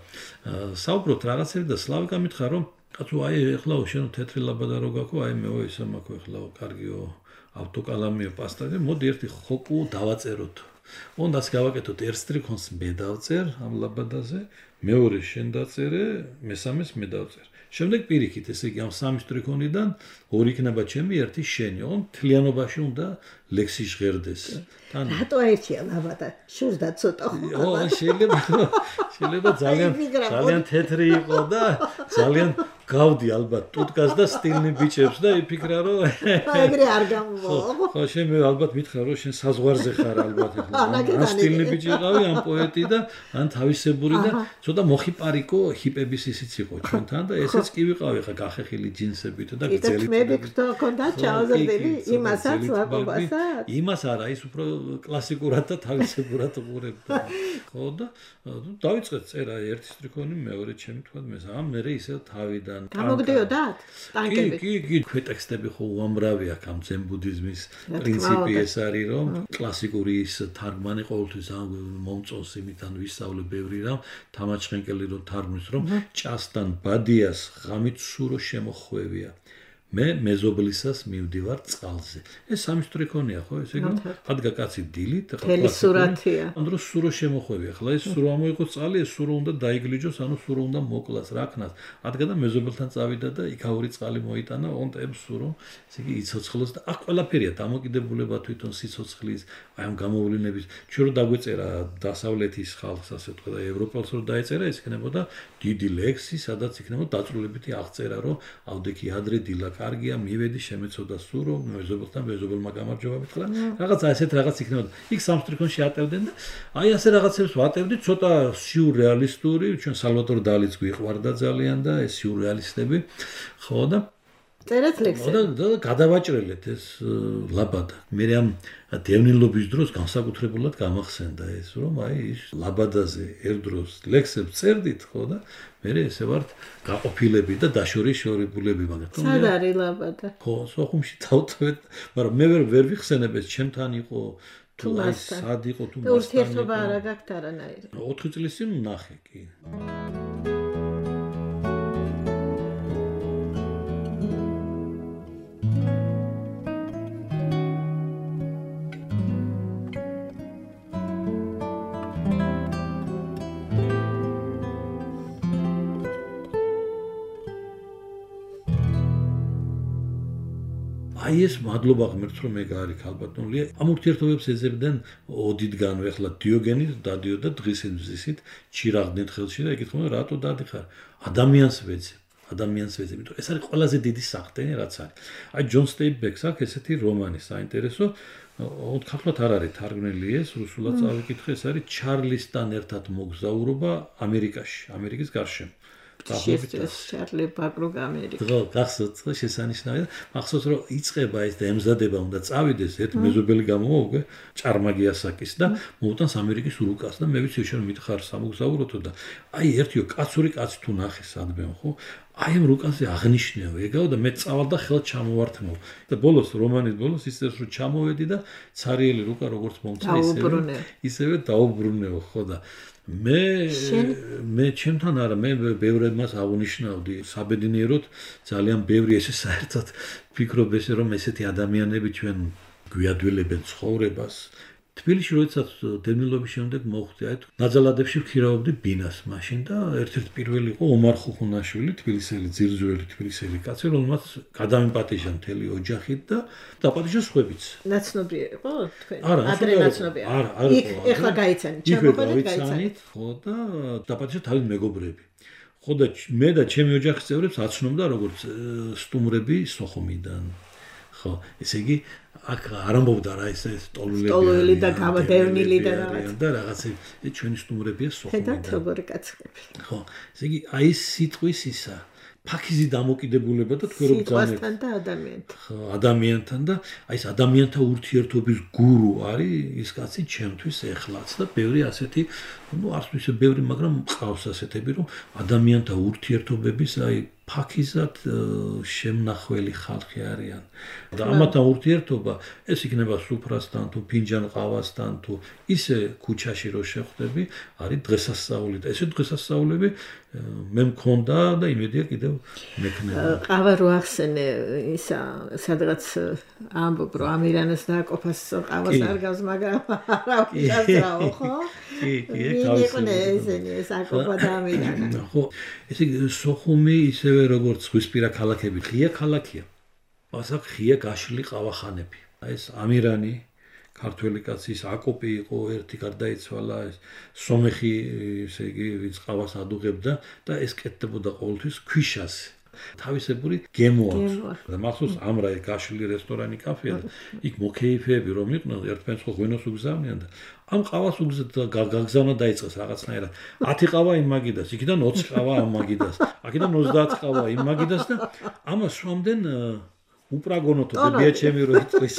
საუბრობთ რაღაცები და სლავიკა მითხრა რომ კაცო აი ეხლა შენ თეთრი ლაბადა რო გაქო აი მე ისე მაქვს ეხლა კარგიო ავტოკალამიო პასტაზე მოდი ერთი ხოკუ დავაწეროთ. უნდას გავაკეთოთ ერთ სტრიქონს მე დავწერ ამ ლაბადაზე, მეორე შენ დაწერე, მესამეს მე დავწერ. შემდეგ პირიქით, ესე იგი ამ სამი სტრიქონიდან ორი იქნება ჩემი, ერთი შენი. ოღონდ თლიანობაში უნდა ლექსი ჟღერდეს. რატო ერთია ლაბადა? შურდა ცოტა. შეიძლება ძალიან თეთრი იყო და ძალიან გავდი ალბათ ტუტკას და სტილნი ბიჭებს და იფიქრა რომ ეგრე არ გამოვა. ხო შენ მე ალბათ მითხრა რომ შენ საზღვარზე ხარ ალბათ ახლა. ან სტილნი ბიჭი იყავი, ან პოეტი და ან თავისებური და ცოტა მოხიპარიკო ჰიპების ისიც იყო ჩვენთან და ესეც კი ვიყავი ხა გახეხილი ჯინსებით და გძელი. მე ვიქთო კონდა ჩაოზრდები იმასაც ვაკობასაც. იმას არა, ის უფრო კლასიკურად და თავისებურად უყურებდა. ხო და დავიწყეთ წერა ერთი სტრიქონი, მეორე ჩემი თქვა მესამე, მე ისე თავიდან გამოგდიოდათ ტანკები. კი, ტექსტები ხო უამრავი აქვს ამ ძენ-ბუდიზმის პრინციპი ეს არის რომ კლასიკური ის თარგმანი ყოველთვის მომწონს იმიდან ვისწავლე ბევრი რამ თამაჩხენკელი რომ თარგმნის რომ ჭასთან ბადიას ღამით სურო შემოხვევია მე მეზობლისას მივდივარ წყალზე. ეს სამი სტრიქონია ხო, ესე იგი ადგა კაცი დილით, ხელი სურათია. ამ დროს სურო შემოხვევი, ახლა ეს სურო ამოიღოს წყალი, ეს სურო უნდა დაიგლიჯოს, ანუ სურო უნდა მოკლას, რა ქნას. ადგა და მეზობელთან წავიდა და იქაური წყალი მოიტანა, ონტებს სურო, ესე იგი იცოცხლოს და აქ ყველაფერია დამოკიდებულება თვითონ სიცოცხლის, აი ამ გამოვლენების. ჩვენ რო დაგვეწერა დასავლეთის ხალხს, ასე ვთქვა და ევროპელს რო დაეწერა, ეს იქნებოდა დიდი ლექსი, სადაც იქნებოდა დაწვრილებითი აღწერა, რომ ავდექი ადრე დილა კარგია, მივედი, შემეცოდა სურო, მეზობელთან მეზობელმა გამარჯობა მითხრა. რაღაცა ესეთ რაღაც იქნებოდა. იქ სამსტრიქონში ატევდნენ და აი ასე რაღაცებს ვატევდით, ცოტა სიურრეალისტური, ჩვენ სალვადორ დალიც გვიყვარდა ძალიან და ეს სიურრეალისტები, ხო და წერეთ ლექსები. და გადავაჭრელეთ ეს ლაბადა. მე ამ დევნილობის დროს განსაკუთრებულად გამახსენდა ეს, რომ აი ის ლაბადაზე ერთ დროს ლექსებს წერდით, ხო და მე ესე ვართ გაყოფილები და დაშორიშორებულები, მაგრამ სად არის ლაბადა? ხო, სოხუმში დავტოვეთ, მაგრამ მე ვერ ვიხსენებ ეს ჩემთან იყო თუ აი სად იყო თუ მასთან. ურთიერთობა არა გაქვთ არანაირი. 4 წლის წინ ვნახე კი. აი ეს მადლობა ღმერთს რომ ეგ არის ქალბატონლია ამ ურთიერთობებს ეძებდნენ ოდიდგანვე ახლა დიოგენი დადიოდა დღისით ჩირაღდნით ხელში და ეკითხულობდნენ რატო დადიხარ ადამიანს ვეძებ იმიტომ ეს არის ყველაზე დიდი სახტენი რაც არის აი ჯონ სტეინბეკს აქვს ესეთი რომანი საინტერესო ქართულად არ არის თარგმნილი ეს რუსულად წავიკითხე ეს არის ჩარლისთან ერთად მოგზაურობა ამერიკაში ამერიკის გარშემო ჩარლი ბაკროგ ამერიკა. ხო, გახსოვთ შესანიშნავია. მახსოვს რომ იწება ეს და ემზადება უნდა წავიდეს ერთ მეზობელი გამოვა უკვე ჭარმაგიასაკის და მოუტანს ამერიკის რუკას და მე ვიცი შენ მითხარ სამოგზაუროთო და აი ერთიო კაცური კაცი თუ ნახე სადმე ხო აი ამ რუკაზე აღნიშნეო ეგაო და მე წავალ და ხელთ ჩამოვართმევ და ბოლოს რომანის ბოლოს ისევ რომ ჩამოვედი და ცარიელი რუკა როგორც მომწე ისევე დაუბრუნეო ხო და მე ჩემთან არა მე ბევრებას აღნიშნავდი საბედნიეროდ ძალიან ბევრი ესე საერთოდ ფიქრობ ესე რომ ესეთი ადამიანები ჩვენ გვიადვილებენ ცხოვრებას თბილისში როდესაც დევნილობის შემდეგ მოხვდი აი ნაძალადებში ვქირავობდი ბინას მაშინ და ერთ-ერთი პირველი იყო ომარ ხუხუნაშვილი თბილისელი ძირძველი თბილისელი კაცი რომელმაც გადამიპატიჟა მთელი ოჯახით და დაპატიჟა სხვებიც ნაცნობი იყო თქვენ ადრე ნაცნობი არა იქ ეხლა გაიცანით ჩამოყალიბეთ გაიცანით ხო და დაპატიჟა თავის მეგობრები ხო და მე და ჩემი ოჯახის წევრებს აცნობდა როგორც სტუმრები სოხუმიდან ხო ესე იგი აქ არ ამბობდა რა ეს სტოლული და გამოდევნილი და რაღაცა ჩვენი სტუმრებია სოხუმიდან და როგორი კაცები ხო ესე იგი აი ეს სიტყვის ისა ფაქიზი დამოკიდებულება და თქვენ რომ სიტყვასთან და ადამიანთან ხო ადამიანთან და აი ეს ადამიანთა ურთიერთობის გურუ არის ის კაცი ჩემთვის ეხლაც და ბევრი ასეთი ნუ არც ისე ბევრი მაგრამ მყავს ასეთები რომ ადამიანთა ურთიერთობების აი ფაქიზად შემნახველი ხალხი არიან და ამათან ურთიერთობა ეს იქნება სუფრასთან თუ ფინჯან ყავასთან თუ ისე ქუჩაში რო შეხვდები არის დღესასწაული და ესე დღესასწაულები მე მქონდა და იმედია კიდევ მექნება ყავა რო ახსენე ისა სადღაც ამბობ რომ ამირანას დააკოფას ყავას არ გავს მაგრამ არა უჩასრაო ხო ეს აკოფა და ამირანა ხო ესე სოხუმი ისევ როგორც ზღვისპირა ქალაქები ღია ქალაქია. ასაკ ღია გაშლილი ყავახანები. აი ეს ამირანი ქართველი კაცის აკოპი იყო ერთი გარდაიცვალა ეს სომეხი ესე იგი ვინც ყავას ადუღებდა და ეს კეთდებოდა ყოველთვის ქვიშაზე. თავისებური გემო აქვს. და მახსოვს ამრა გაშლილი რესტორანი კაფეა და იქ მოკეიფეები რომ იყვნენ ერთმანეთს ხო ღვინოს უგზავნიან და ამ ყავას გაგზავნა დაიწყეს რაღაცნაირად 10 ყავა იმ მაგიდას, იქიდან 20 ყავა ამ მაგიდას, აქედან 30 ყავა იმ მაგიდას და ამას სვამდნენ უპრაგონოთო ბებია ჩემი რო იწვის.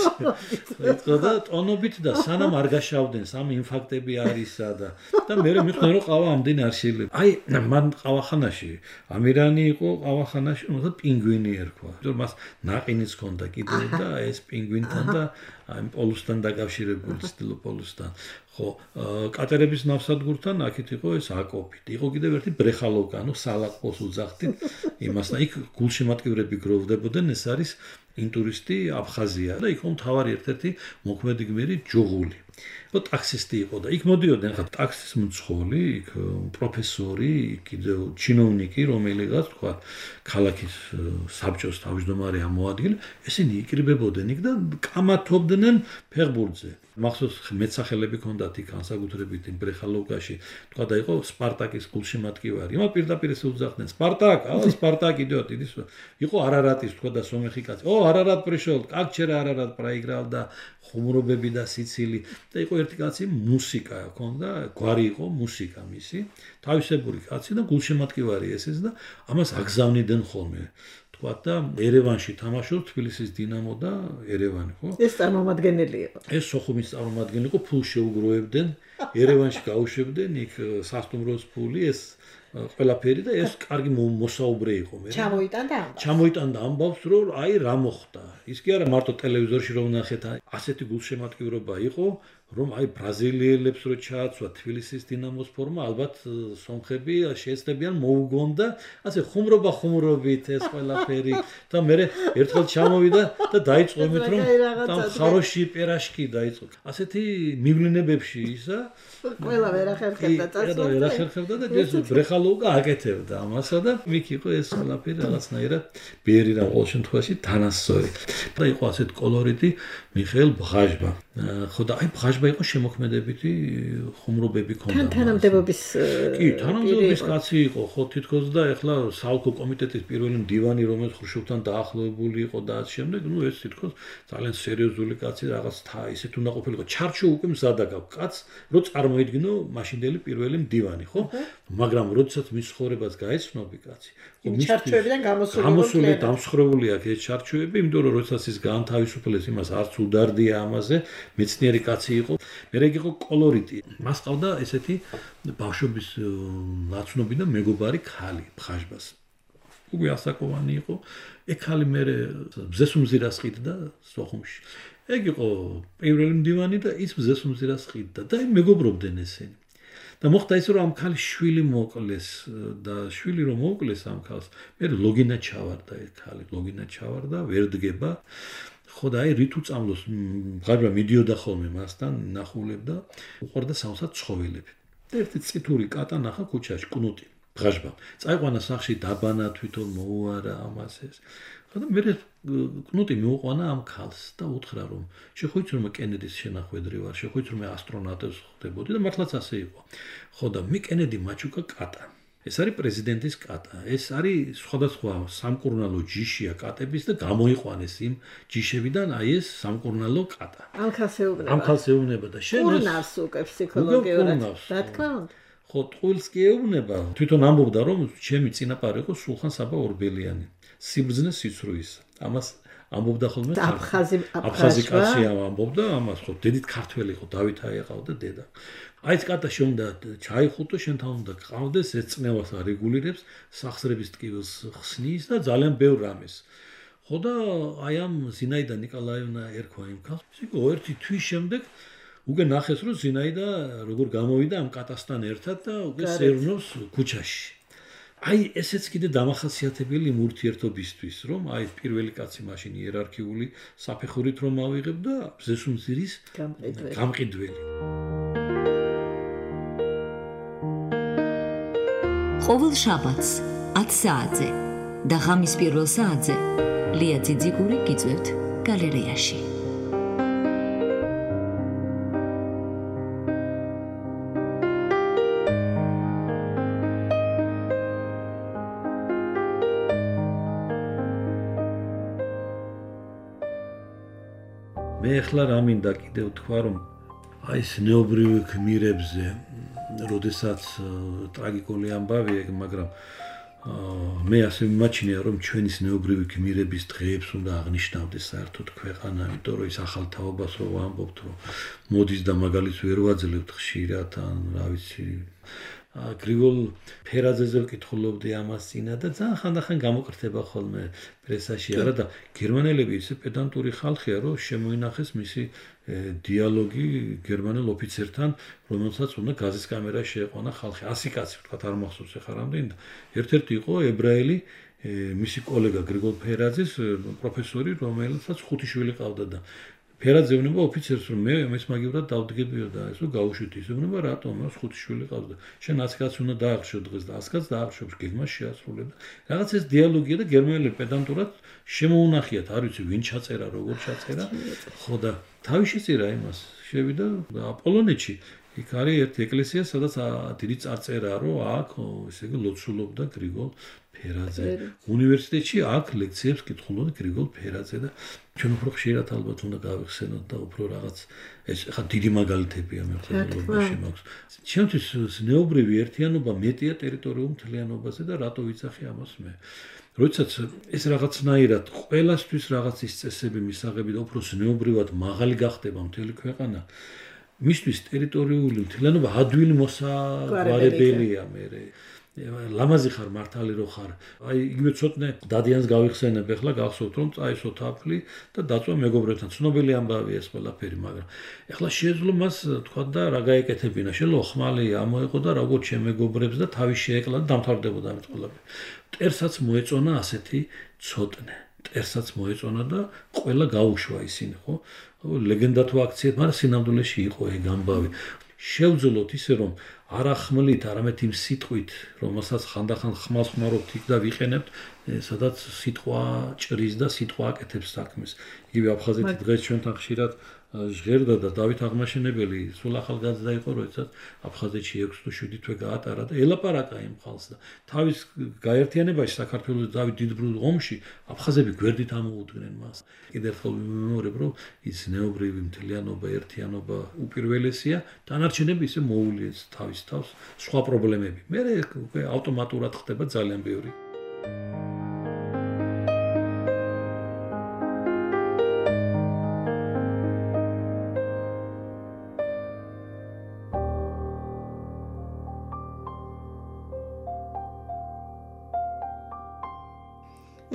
იწვა და ტონობით და სანამ არ გაშავდნენ, სამ ინფარქტები არისა და მე მიხდნენ რომ ყავა ამდენი არ შეიძლება. აი მან ყავახანაში ამირანი იყო ყავახანაში, თუმცა პინგვინი ერქვა. იმიტომ მას ნაყინიც ჰქონდა კიდე და ეს პინგვინთან და აი პოლუსთან დაკავშირებული ცდილო პოლუსთან. ხო, კატერების ნავსადგურთან აქეთ იყო ეს აკოფით. იყო კიდევ ერთი ბრეხალოვკა, ანუ სალაყოს უძახდით იმასთან. იქ გულშემატკივრები გროვდებოდნენ, ეს არის ინტურისტი აფხაზია და იქ მთავარი ერთ-ერთი მოქმედი გმირი ჯუღული. ხო, ტაქსისტი იყო და იქ მოდიოდნენ ხა ტაქსის მძღოლი, იქ პროფესორი, კიდევ ჩინოვნიკი, რომელიღაც თქვა ქალაქის საბჭოს თავმჯდომარე ამოადგილე, ესენი იკრიბებოდნენ იქ და კამათობდნენ ფეხბურთზე. მახსოვს მეცახელები ჰქონდათ იქ განსაკუთრებით იმ ბრეხალოვკაში, თქვა და იყო სპარტაკის გულშემატკივარი. იმა პირდაპირ ესე უძახდნენ სპარტაკ, სპარტაკ идёт, идис. იყო არარატის თქვა და სომეხი კაცი. არარატ пришел, как вчера арарат проиграл და ხუმრობები და სიცილი და იყო ერთი კაცი მუსიკა ჰქონდა, გვარი იყო მუსიკა მისი, თავისებური კაცი და გულშემატკივარი ესეც და ამას აგზავნიდნენ ხოლმე. თქვა და ერევანში თამაშობს თბილისის დინამო და ერევანი, ხო? ეს წარმომადგენელი იყო. ეს სოხუმის წარმომადგენელი იყო, ფულს შეუგროვებდნენ, ერევანში გაუშვებდნენ, იქ სასტუმროს ფული, ეს ყველაფერი და ეს კარგი მოსაუბრე იყო მე. ჩამოიტანდა ამბავს, რომ აი რა მოხდა. ის კი არა მარტო ტელევიზორში რომ ნახეთ, ასეთი გულშემატკივრობა იყო, რომ აი ბრაზილიელებს რო ჩააცვა თბილისის დინამოს ფორმა, ალბათ სომხები შეეცდებიან მოუგონ და ასე ხუმრობით ეს ყველაფერი და მე ერთხელ ჩამოვიდა და დაიწყო იმით რომ там хороший пирожки დაიწყო. ასეთი მივლინებებში ისა ყველა ვერ ახერხებდა წასვლა. ვერ ახერხებდა და ეს ბრეხალოვკა აკეთებდა ამასა და მიქ იყო ეს ყველაფერი რაღაცნაირად ბერი რა ყოველ შემთხვევაში თანასწორი. და იყო ასეთ კოლორიტი მიხეილ ბღაჟბა. ხო და აი ბღაჟბა იყო შემოქმედებითი ხუმრობები ქონდა. თანამდებობის კი, თანამდებობის კაცი იყო, ხო თითქოს და ეხლა საოლქო კომიტეტის პირველი მდივანი, რომელიც ხრუშჩოვთან დაახლოებული იყო და ამ შემდეგ, ნუ ეს თითქოს ძალიან სერიოზული კაცი, რაღაც ისეთ უნდა ყოფილიყო. ჩარჩო უკვე მზადა გაქვს კაც, რომ წარმოიდგინო მაშინდელი პირველი მდივანი, ხო? მაგრამ როდესაც მის ცხოვრებას გაეცნობი კაცი, ხო მის ჩარჩოებიდან გამოსული დამსხრეული აქვს ეს ჩარჩოები, იმიტომ რომ როდესაც ის გაანთავისუფლეს, იმას არც უდარდია ამაზე, მეცნიერი კაცი იყო. მერე იყო კოლორიტი. მას ყავდა ესეთი ბავშვობის ნაცნობი და მეგობარი ქალი ბღაჟბას. უკვე ასაკოვანი იყო. ეგ ქალი მერე ბზესუმზირას ყიდდა სოხუმში. ეგ იყო პირველი მდივანი და ის ბზესუმზირას ყიდდა და მეგობრობდნენ ესენი. და მოხდა ის რომ ამ ქალის შვილი მოკლეს და შვილი რომ მოკლეს ამ ქალს, მე ლოგინა ჩავარდა ეს ქალი, ლოგინა ჩავარდა, ვერ დგება. ხო და აი რით უწამლოს ბღაჟბა მიდიოდა ხოლმე მასთან ნახულებდა, უყურდა სამსად ცხოველები. და ერთი წითური კატა ნახა ქუჩაში, კნუტი, ბღაჟბა. წაიყვანა სახში დაბანა თვითონ მოუარა ამას ეს. ხო და მე კნუტი მეუყვანა ამ ქალს და უთხრა რომ შეხოიცი რომ კენედის შენახვედრი ვარ, შეხოიცი რომ ასტრონავტებს ხდებოდი და მართლაც ასე იყო. ხო და მე კენედი მაჩუკა კატა. ეს არის პრეზიდენტის კატა. ეს არის სხვადასხვა სამკურნალო ჯიშია კატების და გამოიყვანეს იმ ჯიშებიდან აი ეს სამკურნალო კატა. ამ ქალს ეუბნება და შენ ეს კურნავს უკვე ფსიქოლოგიურად. რა თქმა უნდა. ხო, ტყუილს კი ეუბნება. თვითონ ამბობდა რომ ჩემი წინაპარი იყო სულხან საბა ორბელიანი. სიბრძნე სიცრუის. ამას ამბობდა ხოლმე აფხაზი კაცი ამბობდა ამას, ხო, დედით ქართველი იყო, დავით აეყავდა დედა. აი ეს კატა შენდა ჩაიხუტო, შენთან უნდა გყავდეს, ეს წნევას არეგულირებს, სახსრების ტკივილს ხსნის და ძალიან ბევრ რამეს. ხო და აი ამ ზინაიდა ნიკოლაევნა ერქვა იმ ქალს. ისე ერთი თვის შემდეგ უკვე ნახეს რომ ზინაიდა როგორ გამოვიდა ამ კატასთან ერთად და უკვე სერნოს ქუჩაში. აი ესეც კიდე დამახასიათებელი იმ ურთიერთობისთვის, რომ აი პირველი კაცი მაშინ იერარქიული საფეხურით რომ ავიღებ და ბზესუმზირის გამყიდველი. ყოველ შაბათს 10 საათზე და ღამის პირველ საათზე ლია ძიძიგური გიწევთ გალერეაში. მე ახლა რა მინდა კიდევ თქვა რომ აი ეს ნეობრივი გმირებზე როდესაც ტრაგიკული ამბავია, მაგრამ მე ასე მიმაჩნია რომ ჩვენის ნეობრივი გმირების დღეებს უნდა აღნიშნავდეს საერთოდ ქვეყანა, იმიტომ რომ ის ახალ თაობას რო ვამბობთ, რომ მოდის და მაგალითს ვერ ვაძლევთ ხშირად ან რა ვიცი გრიგოლ ფერაძეზე ვკითხულობდი ამას წინა და ძალიან ხანდახან გამოკრთება ხოლმე პრესაში არა და გერმანელები ისე პედანტური ხალხია რომ შემოინახეს მისი დიალოგი გერმანელ ოფიცერთან რომელსაც უნდა გაზის კამერაში შეეყვანა ხალხი 100 კაცი ვთქვა არ მახსოვს ახლა რამდენი ერთ-ერთი იყო ებრაელი მისი კოლეგა გრიგოლ ფერაძის პროფესორი რომელსაც 5 შვილი ყავდა და ფერაძე უნება ოფიცერს რომ მე ეს მაგივრად დავდგებიო და ესო გავუშვით ის უნება რატომ მას 5 შვილი ყავდა შენ 100 კაცს უნდა დაახშო დღეს და 100 კაცს დაახშობს გეგმას შეასრულებდა რაღაც ეს დიალოგია და გერმანელი პედანტურად შემოუნახიათ არ ვიცი ვინ ჩაწერა როგორ ჩაწერა ხო და თავი შეწირა იმას შევიდა აპოლონეთში იქ არის ერთი ეკლესია სადაც დიდი წარწერაა რომ აქ ესე იგი ლოცულობდა გრიგოლ ფერაძე უნივერსიტეტში აქ ლექციებს კითხულობდა გრიგოლ ფერაძე და ჩვენ უფრო ხშირად ალბათ უნდა გავიხსენოთ და უფრო რაღაც ეს ხა დიდი მაგალითებია მე ხოლმე მაქვს ჩემთვის ზნეობრივი ერთიანობა მეტია ტერიტორიულ მთლიანობაზე და რატო ვიცახი ამას მე როდესაც ეს რაღაცნაირად ყველასთვის რაღაც ის წესები მისაღები და უფრო ზნეობრივად მაღალი გახდება მთელი ქვეყანა მისთვის ტერიტორიული მთლიანობა ადვილი მოსაგვარებელია მე ლამაზი ხარ მართალი რო ხარ აი იგივე ცოტნე დადიანს გავიხსენებ ახლა გახსოვთ რომ წაისო თაფლი და დაწვა მეგობრებთან ცნობილი ამბავია ეს ყველაფერი მაგრამ ახლა შეეძლო მას თქვა და რა გაეკეთებინა შეიძლება ხმალი ამოეყო და როგორც შემეგობრებს და თავი შეეკლა და დამთავრდებოდა ამით ყველაფერი მტერსაც მოეწონა ასეთი ცოტნე მტერსაც მოეწონა და ყველა გაუშვა ისინი ხო ლეგენდა თუ აქციეთ მაგრამ სინამდვილეში იყო ეგ ამბავი შევძლოთ ისე რომ არა ხმლით, არამედ იმ სიტყვით, რომელსაც ხანდახან ხმალს ხმარობთ იქ და ვიყენებთ, სადაც სიტყვა ჭრის და სიტყვა აკეთებს საქმეს. იგივე აფხაზეთი დღეს ჩვენთან ხშირად ჟღერდა და დავით აღმაშენებელი სულ ახალგაზრდა იყო, როდესაც აფხაზეთში 6 თუ 7 თვე გაატარა და ელაპარაკა იმ ხალხს და თავის გაერთიანებაში საქართველოს დავით დიდბრულ ომში აფხაზები გვერდით ამოუდგნენ მას. კიდევ ერთხელ ვიმეორებ, რომ ის ნეობრივი მთლიანობა, ერთიანობა უპირველესია, დანარჩენები ისე მოულიეს თავის თავს სხვა პრობლემები. მე ავტომატურად ხდება ძალიან ბევრი.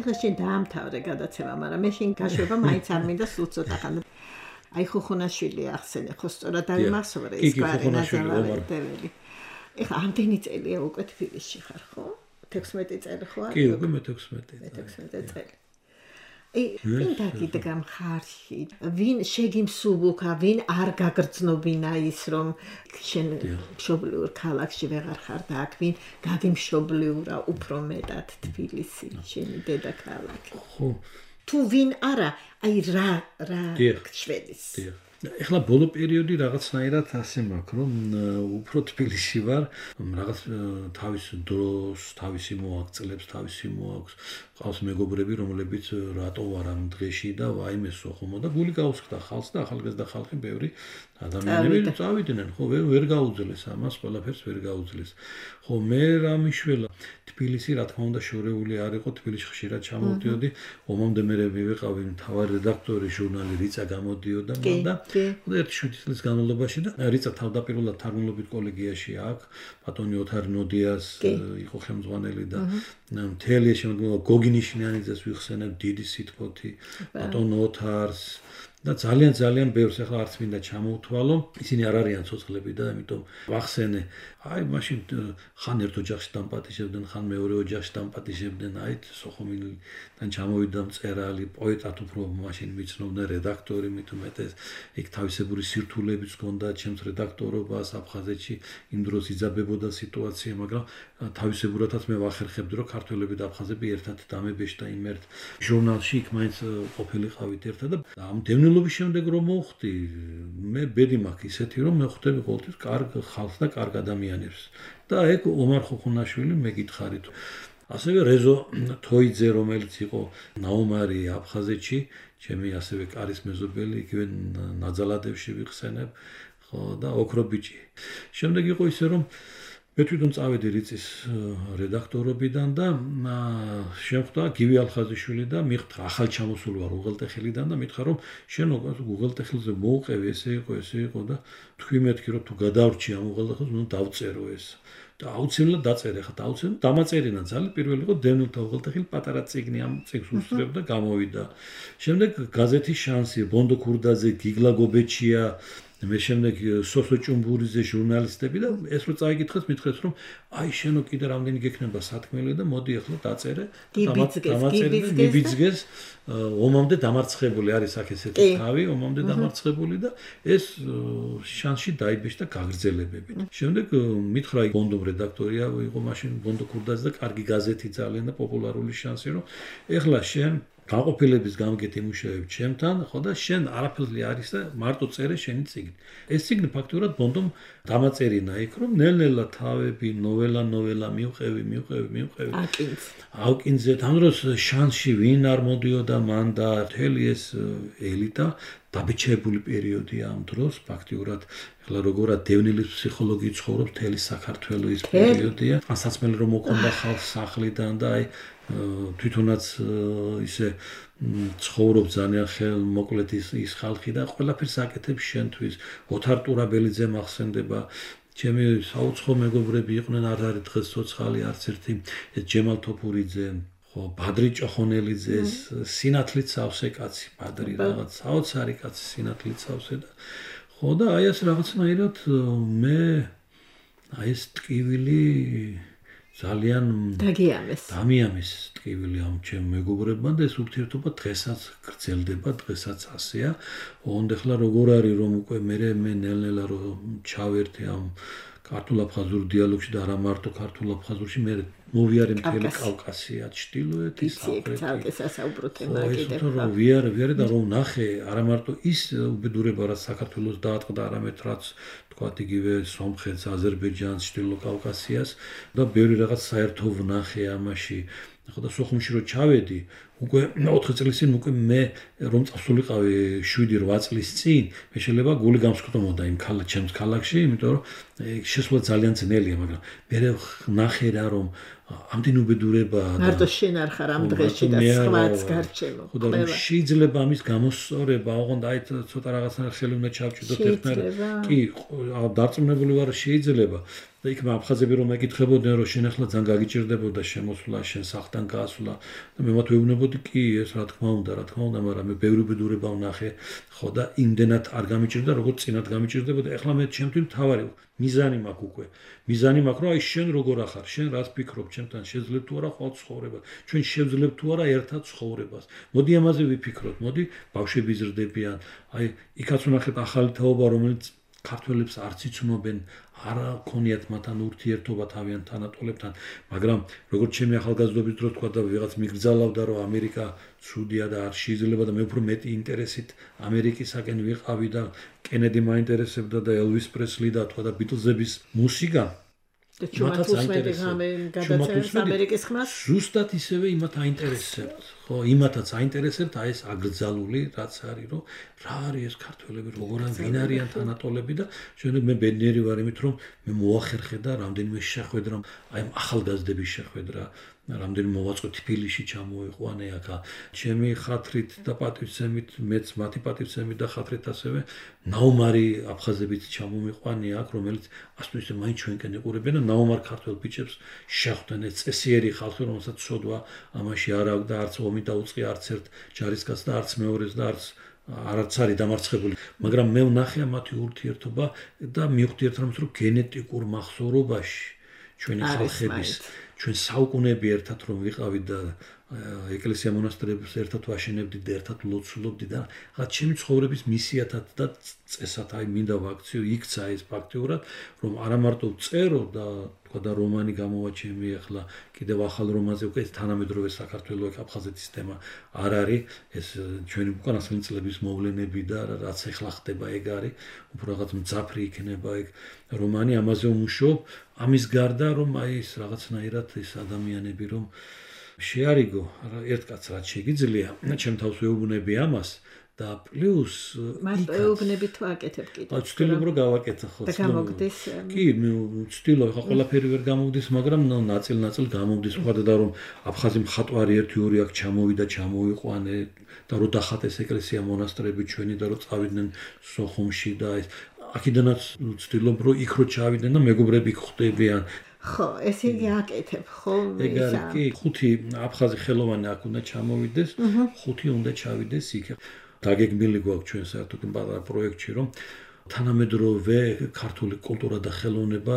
ეხლა შენ დაამთავრე გადაცემა, მაგრამ მე შენ გაშვება მაინც არ მინდა სულ ცოტა ხანი. აი ხუხუნაშვილი ახსენე, ხო სწორად დავიმახსოვრე ის გვარენაზავარდებელი. ეხლა ამდენი წელია უკვე თბილისში ხარ, ხო? 16 წელი ხო არის? კი, უკვე მე 16 წელი. ვინ დაგიდგა მხარში? ვინ შეგიმსუბუქა, ვინ არ გაგრძნობინა ის რომ შენ მშობლიურ ქალაქში ვეღარ ხარ და აქ ვინ გაგიმშობლიურა უფრო მეტად თბილისი, შენი დედაქალაქი. ხო. თუ ვინ არა, აი რა შვედის. ეხლა ბოლო პერიოდი რაღაცნაირად ასე მაქვს, რომ უფრო თბილისში ვარ, რაღაც თავის დროს, თავისი მოაღწლებს, თავისი მოაქვს. ყავს მეგობრები, რომლებიც რატო არ ამ დღეში და ვაიმესო ხომ და გული გაუსხდა ხალხს და ახალგაზრდა ხალხი ბევრი ადამიანები წავიდნენ, ხო, ვერ გაუძლეს ამას, ყველაფერს ვერ გაუძლეს. ხო, მე რა მიშველა თბილისი, რა თქმა უნდა, შორეული არ იყო, თბილისში ხშირად ჩამოვდიოდი, ომამდე მე ვიყავი მთავარი რედაქტორი ჟურნალი რიცა გამოდიოდა მან და ერთი 7 წლის განმავლობაში და რიცა თავდაპირველად თარგმნილობით კოლეგიაში აქ ბატონი ოთარ ნოდიას იყო ხელმძღვანელი და მთელი შემდგომ გოგინიშნიანიძეს ვიხსენებ დიდი სიტყვოთი ბატონ ოთარს და ძალიან ბევრს ახლა არც მინდა ჩამოვთვალო ისინი არ არიან ცოცხლები და ამიტომ ვახსენე აი მაშინ ხან ერთ ოჯახში დამპატიჟებდნენ ხან მეორე ოჯახში დამპატიჟებდნენ აი სოხუმიდან ჩამოვიდა მწერალი პოეტად უფრო მაშინ მიცნობდნენ რედაქტორი მით უმეტეს იქ თავისებური სირთულეებიც ჰქონდა ჩემს რედაქტორობას აფხაზეთში იმ დროს იძაბებოდა სიტუაცია მაგრამ თავისებურადაც მე ვახერხებდი რომ ქართველები და აფხაზები ერთად დამებეშდა იმ ერთ ჟურნალში იქ მაინც ყოფილიყავით ერთად და ამ დევნილობის შემდეგ რომ მოვხდი მე ბედი მაქვს ისეთი რომ მე ხვდები ყოველთვის კარგ ხალხს და კარგ ადამიანებს და ეგ ომარ ხუხუნაშვილი მეკითხარით ასევე რეზო თოიძე რომელიც იყო ნაუმარი აფხაზეთში ჩემი ასევე კარის მეზობელი იგივე ნაძალადევში ვიხსენებ ხო და ოქრობიჭი შემდეგ იყო ისე რომ მე თვითონ წავედი რიწის რედაქტორობიდან და შემხვდა გივი ალხაზიშვილი და მიხდა ახალ ჩამოსული ვარ უღელტეხილიდან და მითხრა რომ შენ უღელტეხილზე მოუყევი ესე იყო და თქვი მეთქი რომ თუ გადავრჩი ამ უღელტეხილს უნდა დავწერო ეს და აუცილებლად დაწერე, ხა აუცილებლად დამაწერინა ძალიან პირველი იყო დევნილთა უღელტეხილი პატარა წიგნი ამ წიგნს უსწრებდა გამოვიდა. შემდეგ გაზეთი შანსი, ბონდო ქურდაძე, გიგლა გობეჩია მე შემდეგ სოსო ჭუმბურიძე ჟურნალისტები და ეს რო წაიკითხეს მითხრეს რომ აი შენო კიდე რამდენი გექნება სათქმელი და მოდი ახლა დაწერე გიბიძგეს ომამდე დამარცხებული არის აქ ესეთი თავი ომამდე დამარცხებული და ეს შანსში დაიბეჭდა და გაგრძელებებით შემდეგ მითხრა ბონდომ რედაქტორია იყო მაშინ ბონდო ქურდაძე და კარგი გაზეთი ძალიან და პოპულარული შანსი რომ ეხლა შენ გაყოფილების გამგეთ იმუშავებ ჩემთან, ხო და შენ არაფერზე არის და მარტო წერე შენი წიგნი. ეს წიგნი ფაქტურად ბონდომ დამაწერინა იქ, რომ ნელ-ნელა თავები, ნოველა მივყევი. აუკინძეთ, ამ დროს შანსში ვინ არ მოდიოდა მან და მთელი ეს ელიტა დაბეჭებული პერიოდია ამ დროს, ფაქტურად ეხლა როგორად დევნილის ფსიქოლოგი ცხოვრობს მთელი საქართველოს პერიოდია. ასაცმელი რომ მოქონდა ხალხს სახლიდან და აი თვითონაც ისე ცხოვრობ ძალიან ხელმოკლედ ის ხალხი და ყველაფერს აკეთებს შენთვის. ოთარ ტურაბელიძე მახსენდება ჩემი საუცხო მეგობრები იყვნენ არ არის დღეს ცოცხალი არც ერთი ჯემალ თოფურიძე ხო ბადრი ჭოხონელიძე სინათლით სავსე კაცი ბადრი რაღაც საოცარი კაცი სინათლით სავსე და ხო და აი ეს რაღაცნაირად მე აი ეს ტკივილი ძალიან დამიამეს ტკივილი ამ ჩემ მეგობრებმა და ეს ურთიერთობა დღესაც გრძელდება, დღესაც ასეა. ოღონდ ახლა როგორ არის რომ უკვე მე ნელ-ნელა რომ ჩავერთე ამ ქართულ-აფხაზურ დიალოგში და არა მარტო ქართულ-აფხაზურში მე მოვიარე მთელი კავკასია, ჩრდილოეთი, სამხრეთი. ხო, ვიარე და რომ ნახე არა მარტო ის უბედურება რაც საქართველოს დაატყდა, არამედ რაც თქვათ იგივე სომხეთს, აზერბაიჯანს, ჩრდილო კავკასიას და ბევრი რაღაც საერთო ვნახე ამაში. ხო და სოხუმში რო ჩავედი, უკვე 4 წლის წინ უკვე მე რომ წასულიყავი 7-8 წლის წინ, მე შეიძლება გული გამსკდომოდა იმ ჩემს ქალაქში, იმიტომ რომ შესვლა ძალიან ძნელია, მაგრამ მე ვნახე რა რომ ამდენ უბედურება მარტო შენ არ ხარ ამ დღეში და სხვაც გარჩევო. ხო და შეიძლება ამის გამოსწორება, ოღონდ აი ცოტა რაღაცნაირად ხელი უნდა ჩავჭიდოთ ერთნაირად. კი, დარწმუნებული ვარ შეიძლება. და იქ აფხაზები რომ მეკითხებოდნენ რომ შენ ახლა ძალიან გაგიჭირდებოდა შემოსვლა, შენ სახლთან გასვლა და მე მათ ვეუბნებოდი კი ეს რა თქმა უნდა, მაგრამ მე ბევრი უბედურება ვნახე, ხო და იმდენად არ გამიჭირდა, როგორც წინათ გამიჭირდებოდა. ახლა მე ჩემთვის მთავარი მიზანი მაქვს უკვე. მიზანი მაქვს რომ აი შენ როგორ ახარ, შენ რას ფიქრობ, ჩემთან შეძლებ თუ არა ხვალ ცხოვრება. ჩვენ შევძლებთ თუ არა ერთად ცხოვრებას. მოდი ამაზე ვიფიქროთ, მოდი ბავშვები ზრდებიან. აი იქაც ვნახეთ ახალი თაობა, რომელიც ქართველებს არც იცნობენ, არ ქონიათ მათთან ურთიერთობა თავიანთ თანატოლებთან, მაგრამ როგორც ჩემი ახალგაზრდობის დროს თქვა და ვიღაც მიგრძალავდა რომ ამერიკა ცუდია და არ შეიძლება და მე უფრო მეტი ინტერესით ამერიკისაკენ ვიყავი და კენედი მაინტერესებდა და ელვის პრესლი და თქვა და ბიტლზების მუსიკა და ჩვენაც გადაწერს ამერიკის ხმას ზუსტად ისევე იმათ აინტერესებთ ხო იმათაც აინტერესებთ აი ეს აკრძალული რაც არის რომ რა არის ეს ქართველები როგორ ვინ არიან თანატოლები და შემდეგ მე ბედნიერი ვარ იმით რომ მე მოახერხე და რამდენიმე შეხვედრა აი ახალგაზრდების შეხვედრა რამდენი მოვაწყო თბილისში ჩამოიყვანე აქა ჩემი ხათრით და პატივცემით მეც მათი პატივცემით და ხათრით ასევე ნაუმარი აფხაზებით ჩამომიყვანე აქ რომელიც ასე ისე მაინც ჩვენკენ იყურებენ და ნაუმარ ქართველ ბიჭებს შეხვდნენ ეს წესიერი ხალხი რომელსაც ცოდვა ამაში არ აქვს და არც ომი დაუწყია არც ერთ ჯარისკაცს და არც მეორეს და არც არის დამარცხებული მაგრამ მე ვნახე მათი ურთიერთობა და მივხვდი ერთმანეთს რომ გენეტიკურ მახსოვრობაში ჩვენი ხალხების ჩვენ საუკუნეები ერთად რომ ვიყავით და ეკლესია მონასტრებს ერთად ვაშენებდით და ერთად ლოცულობდით და რაღაც ჩემი ცხოვრების მისიათად და წესად აი მინდა ვაქციო იქცა ეს ფაქტიურად რომ არა მარტო წერო და თქვა და რომანი გამოვაჩემი ახლა კიდევ ახალ რომანზე უკვე თანამედროვე საქართველოს აფხაზეთის თემა არ არის ეს ჩვენი უკანასკნელი წლების მოვლენები და რაც ახლა ხდება ეგ არის უფრო რაღაც მძაფრი იქნება ეგ რომანი ამაზე ვმუშაობ ამის გარდა რომ აი ეს რაღაცნაირად ეს ადამიანები რომ შეარიგო ერთ კაცს რაც შეგიძლია ჩემ თავს ვეუბნები ამას და პლუს მარტო ეუბნები თუ აკეთებ კიდე ვცდილობ რომ გავაკეთო ხო და გამოგდის კი მე ვცდილობ ხა ყველაფერი ვერ გამოგდის მაგრამ ნაწილ გამოგდის ვქვა და რომ აფხაზი მხატვარი 1-2 აქ ჩამოვიდა ჩამოიყვანე და რომ დახატეს ეკლესია მონასტრები ჩვენი და რომ წავიდნენ სოხუმში და ეს აქედანაც ვცდილობ რომ იქ რო ჩავიდნენ და მეგობრები ხვდებიან ხო, ესე იგი აკეთებ, ხო? ეგ არის კი, 5 აფხაზი ხელოვანი აქ უნდა ჩამოვიდეს, 5 უნდა ჩავიდეს იქ. დაგეგმილი გვაქვს ჩვენ საერთოდ პატარა პროექტში, რომ თანამედროვე ქართული კულტურა და ხელოვნება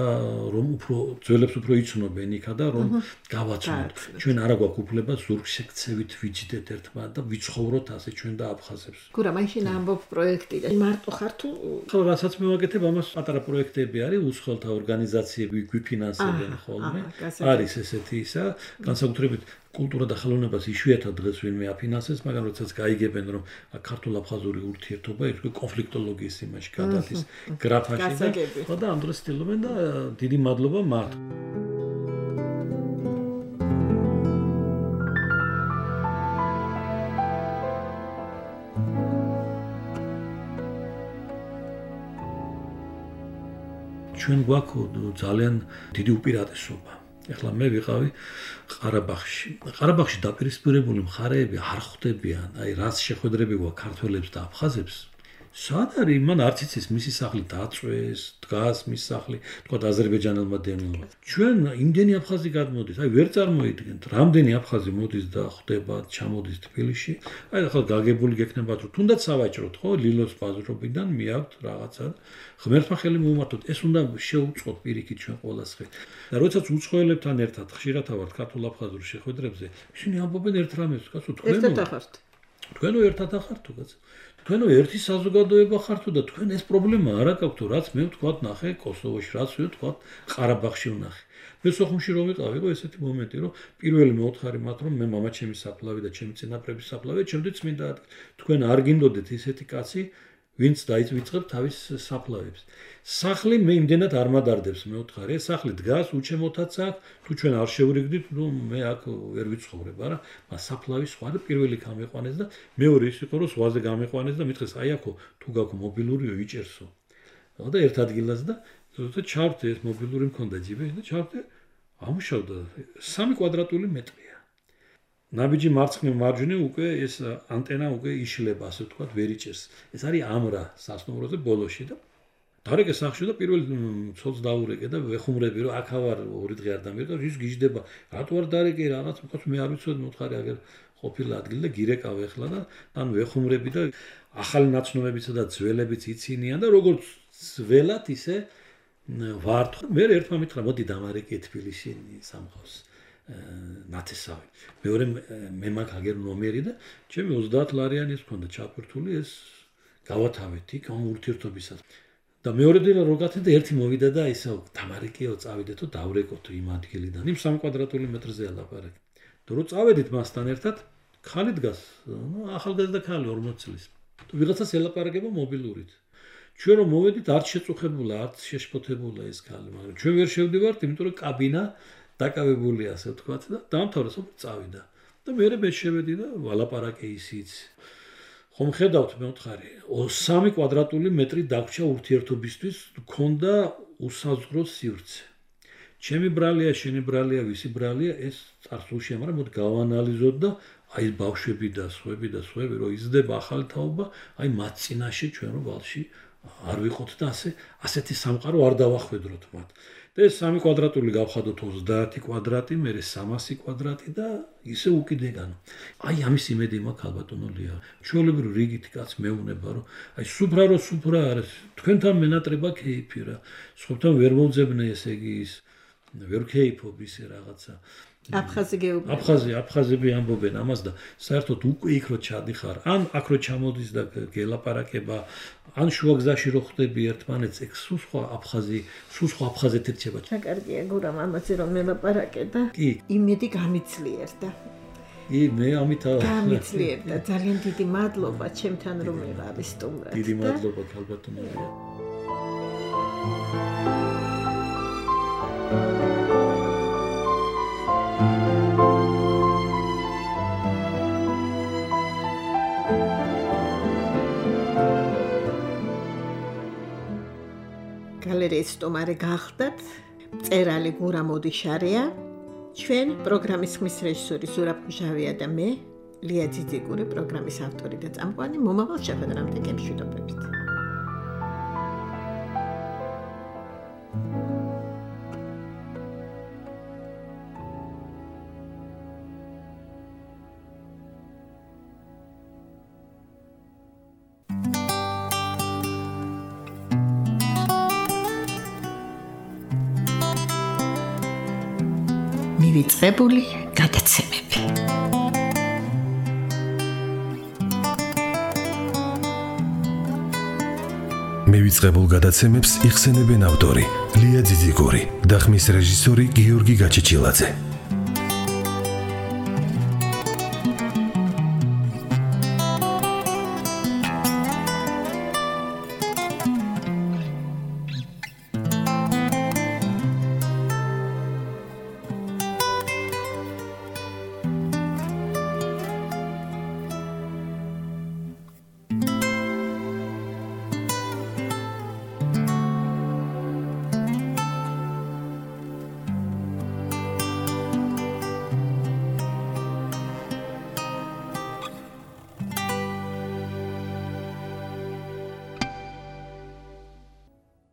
რომ უფრო ძველებს უფრო იცნობენ იქა და რომ გავაცნოთ. ჩვენ არა გვაქვს უფლება ზურგს შეგცევით ვიჯდეთ ერთმანეთს და ვიცხოვროთ ასე ჩვენ და აფხაზებს. გურა, მაშინ ამბობ პროექტიდან. მარტო ხარ თუ ხო, რასაც მევაკეთებ, ამას პატარა პროექტები არის, უცხოელთა ორგანიზაციები გვიფინანსებენ ხოლმე. არის ესეთი ისა, განსაკუთრებით კულტურა და ხელოვნებას იშვიათად დღეს ვინმე აფინანსებს, მაგრამ როდესაც გაიგებენ, რომ ქართულ-აფხაზური ურთიერთობა ის კონფლიქტოლოგიის იმაში გადადის გრაფაში და ამ დროს ცდილობენ და დიდი მადლობა მათ. ჩვენ გვაქვს ძალიან დიდი უპირატესობა. ეხლა მე ვიყავი ყარაბაღში. ყარაბაღში დაპირისპირებული მხარეები არ ხვდებიან, აი რაც შეხვედრები გვაქვს ქართველებს და აფხაზებს. სად არის? მან არც იცის მისი სახლი დაწვეს, დგას მის სახლი, თქვა აზერბაიჯანელმა დევნილმა. ჩვენ იმდენი აფხაზი გადმოდის, აი ვერ წარმოიდგენთ, რამდენი აფხაზი მოდის და ხვდება, ჩამოდის თბილისში. აი ახლა გაგებული გექნებათ, რომ თუნდაც სავაჭროთ, ხო, ლილოს ბაზრობიდან მიაქვთ რაღაცა. ღმერთმა ხელი მოუმართოთ, ეს უნდა შეუწყოთ პირიქით ჩვენ ყველას ხე. და როდესაც უცხოელებთან ერთად ხშირად ავართ ქართულ-აფხაზურ შეხვედრებზე, ისინი ამბობენ ერთ რამეს, კაცო, თქვენო ერთად ახართ თუ კაცო. თქვენო ერთი საზოგადოება ხართო და თქვენ ეს პრობლემა არ აქვს, რაც მე ვთქვათ ნახე კოსოვოში, რაც მე ვთქვათ ყარაბაღში ვნახე. მე სოხუმში რომ ვიყავი, იყო ესეთი მომენტი, რომ პირველი მეოთხარი მათ რომ მე მამაჩემის საფლავი და ჩემი წინაპრების საფლავი, ჩემთვის მინდა თქვენ არ გინდოდეთ ისეთი კაცი, ვინც დაიწყებ თავის საფლავებს. სახლი მე იმდენად არ მადარდებს მეოთხარი, ეს სახლი დგას, უჩემოთაც აქვს, თუ ჩვენ არ შევრიგდით, ნუ მე აქ ვერ ვიცხოვრებ, არა, მას საფლავი სხვა და პირველი გამიყვანეს და მეორე ის იყო, რომ სხვაზე გამიყვანეს და მითხეს, აი აქო, თუ გაქვს მობილურიო, იჭერსო. და ერთ ადგილას და ზუსტად ჩავდე, ეს მობილური მქონდა ჯიბეში და ჩავდე, ამუშავდა 3 კვადრატული მეტრია. ნაბიჯი მარცხნივ მარჯვნივ უკვე ეს ანტენა უკვე იშლება, ასე ვთქვათ, ვერ იჭერს. ეს არის ამრა სასტუმროზე ბოლოში და დარეკე სახში და პირველ ცოლს დაურეკე და ვეხუმრები, რომ აქ ავარ 2 დღე არ დამირეკა, ის გიждდება. რატო არ დარეკე რაღაც, მოკლედ მე არ ვიცოდი, მოთხარი აგერ ყოფილი ადგილი და გირეკავ ეხლა და ან ვეხუმრები და ახალი ნაცნობებიცა და ძველებიც იცინიან და როგორც ძველად ისე ვართ. მე ერთმა მითხრა, მოდი დამარეკე თბილისში სამყავს. ნათესავი. მეორე მე მაგ აგერ ნომერი და ჩემი 30 ლარიანი ეს მქონდა ჩაფერთული, ეს გავათავეთ იქ ამ ურთიერთობისას. და მეორე დილა რო გათენდა ერთი მოვიდა და ისე დამარეკეო, წავიდეთო, დავრეკოთო იმ ადგილიდან. იმ 3 კვადრატული მეტრზე ალაპარაკი. და რო წავედით მასთან ერთად, ხალი დგას, ახალგაზრდა ხალი 40 წლის. თუ ვიღაცას ელაპარაკება მობილურით. ჩვენ რომ მოვედით, არც შეწუხებულა, არც შეშფოთებულა ეს ხალი, მაგრამ ჩვენ ვერ შევდივართ, იმიტომ რომ კაბინა დაკავებული ასე ვთქვათ და დაამთავრა, წავიდა. და მე შევედი და ვალაპარაკე ისიც. ხომ ხედავთ მეოთხარი 3 კვადრატული მეტრი დაგვრჩა ურთიერთობისთვის, მქონდა უსაზღვრო სივრცე. ჩემი ბრალია, შენი ბრალია, ვისი ბრალია, ეს წარსულშია, მაგრამ მოდი გავანალიზოთ და აი ბავშვები და სხვები რომ იზრდება ახალი თაობა, აი მათ წინაშე ჩვენ რო ვალში არ ვიყოთ და ასეთი სამყარო არ დავახვედროთ მათ. და ეს 3 კვადრატული გავხადოთ 30 კვადრატი, მერე 300 კვადრატი და ისე უკიდეგანო. აი ამის იმედი მაქვს ალბათონო ლია. ჩვეულებრივ რიგით კაც მეუნება, რომ აი სუფრა არის, თქვენთან მენატრება кейფი რა. სხვებთან ვერ მომძებნე ესე იგი ის ვერ кейფობ ისე რაღაცა. აფხაზები ამბობენ ამას და საერთოდ უკვე იქ რო ჩადიხარ, ან აქ რო ჩამოდის და გელაპარაკება, ან შუაგზაში რო ხვდები ერთმანეთს, ეგ სულ სხვა აფხაზეთი რჩება. კარგია გურამ ამაზე რომ მელაპარაკე და იმედი გამიძლიერდა. მე ამით გამიძლიერდა. ძალიან დიდი მადლობა ჩემთან რომ მიყავი სტუმრად. დიდი მადლობა ალბათონია. გალერეის სტუმარი გახდათ მწერალი გურა მოდიშარია, ჩვენ პროგრამის ხმის რეჟისორი ზურაბ მჟავია და მე ლია ძიძიგური, პროგრამის ავტორი და წამყვანი. მომავალ შეხვედრამდე გემშვიდობებით. მივიწყებული გადაცემები. მივიწყებულ გადაცემებს იხსენებენ ავტორი ლია ძიძიგური და ხმის რეჟისორი გიორგი გაჩეჩილაძე.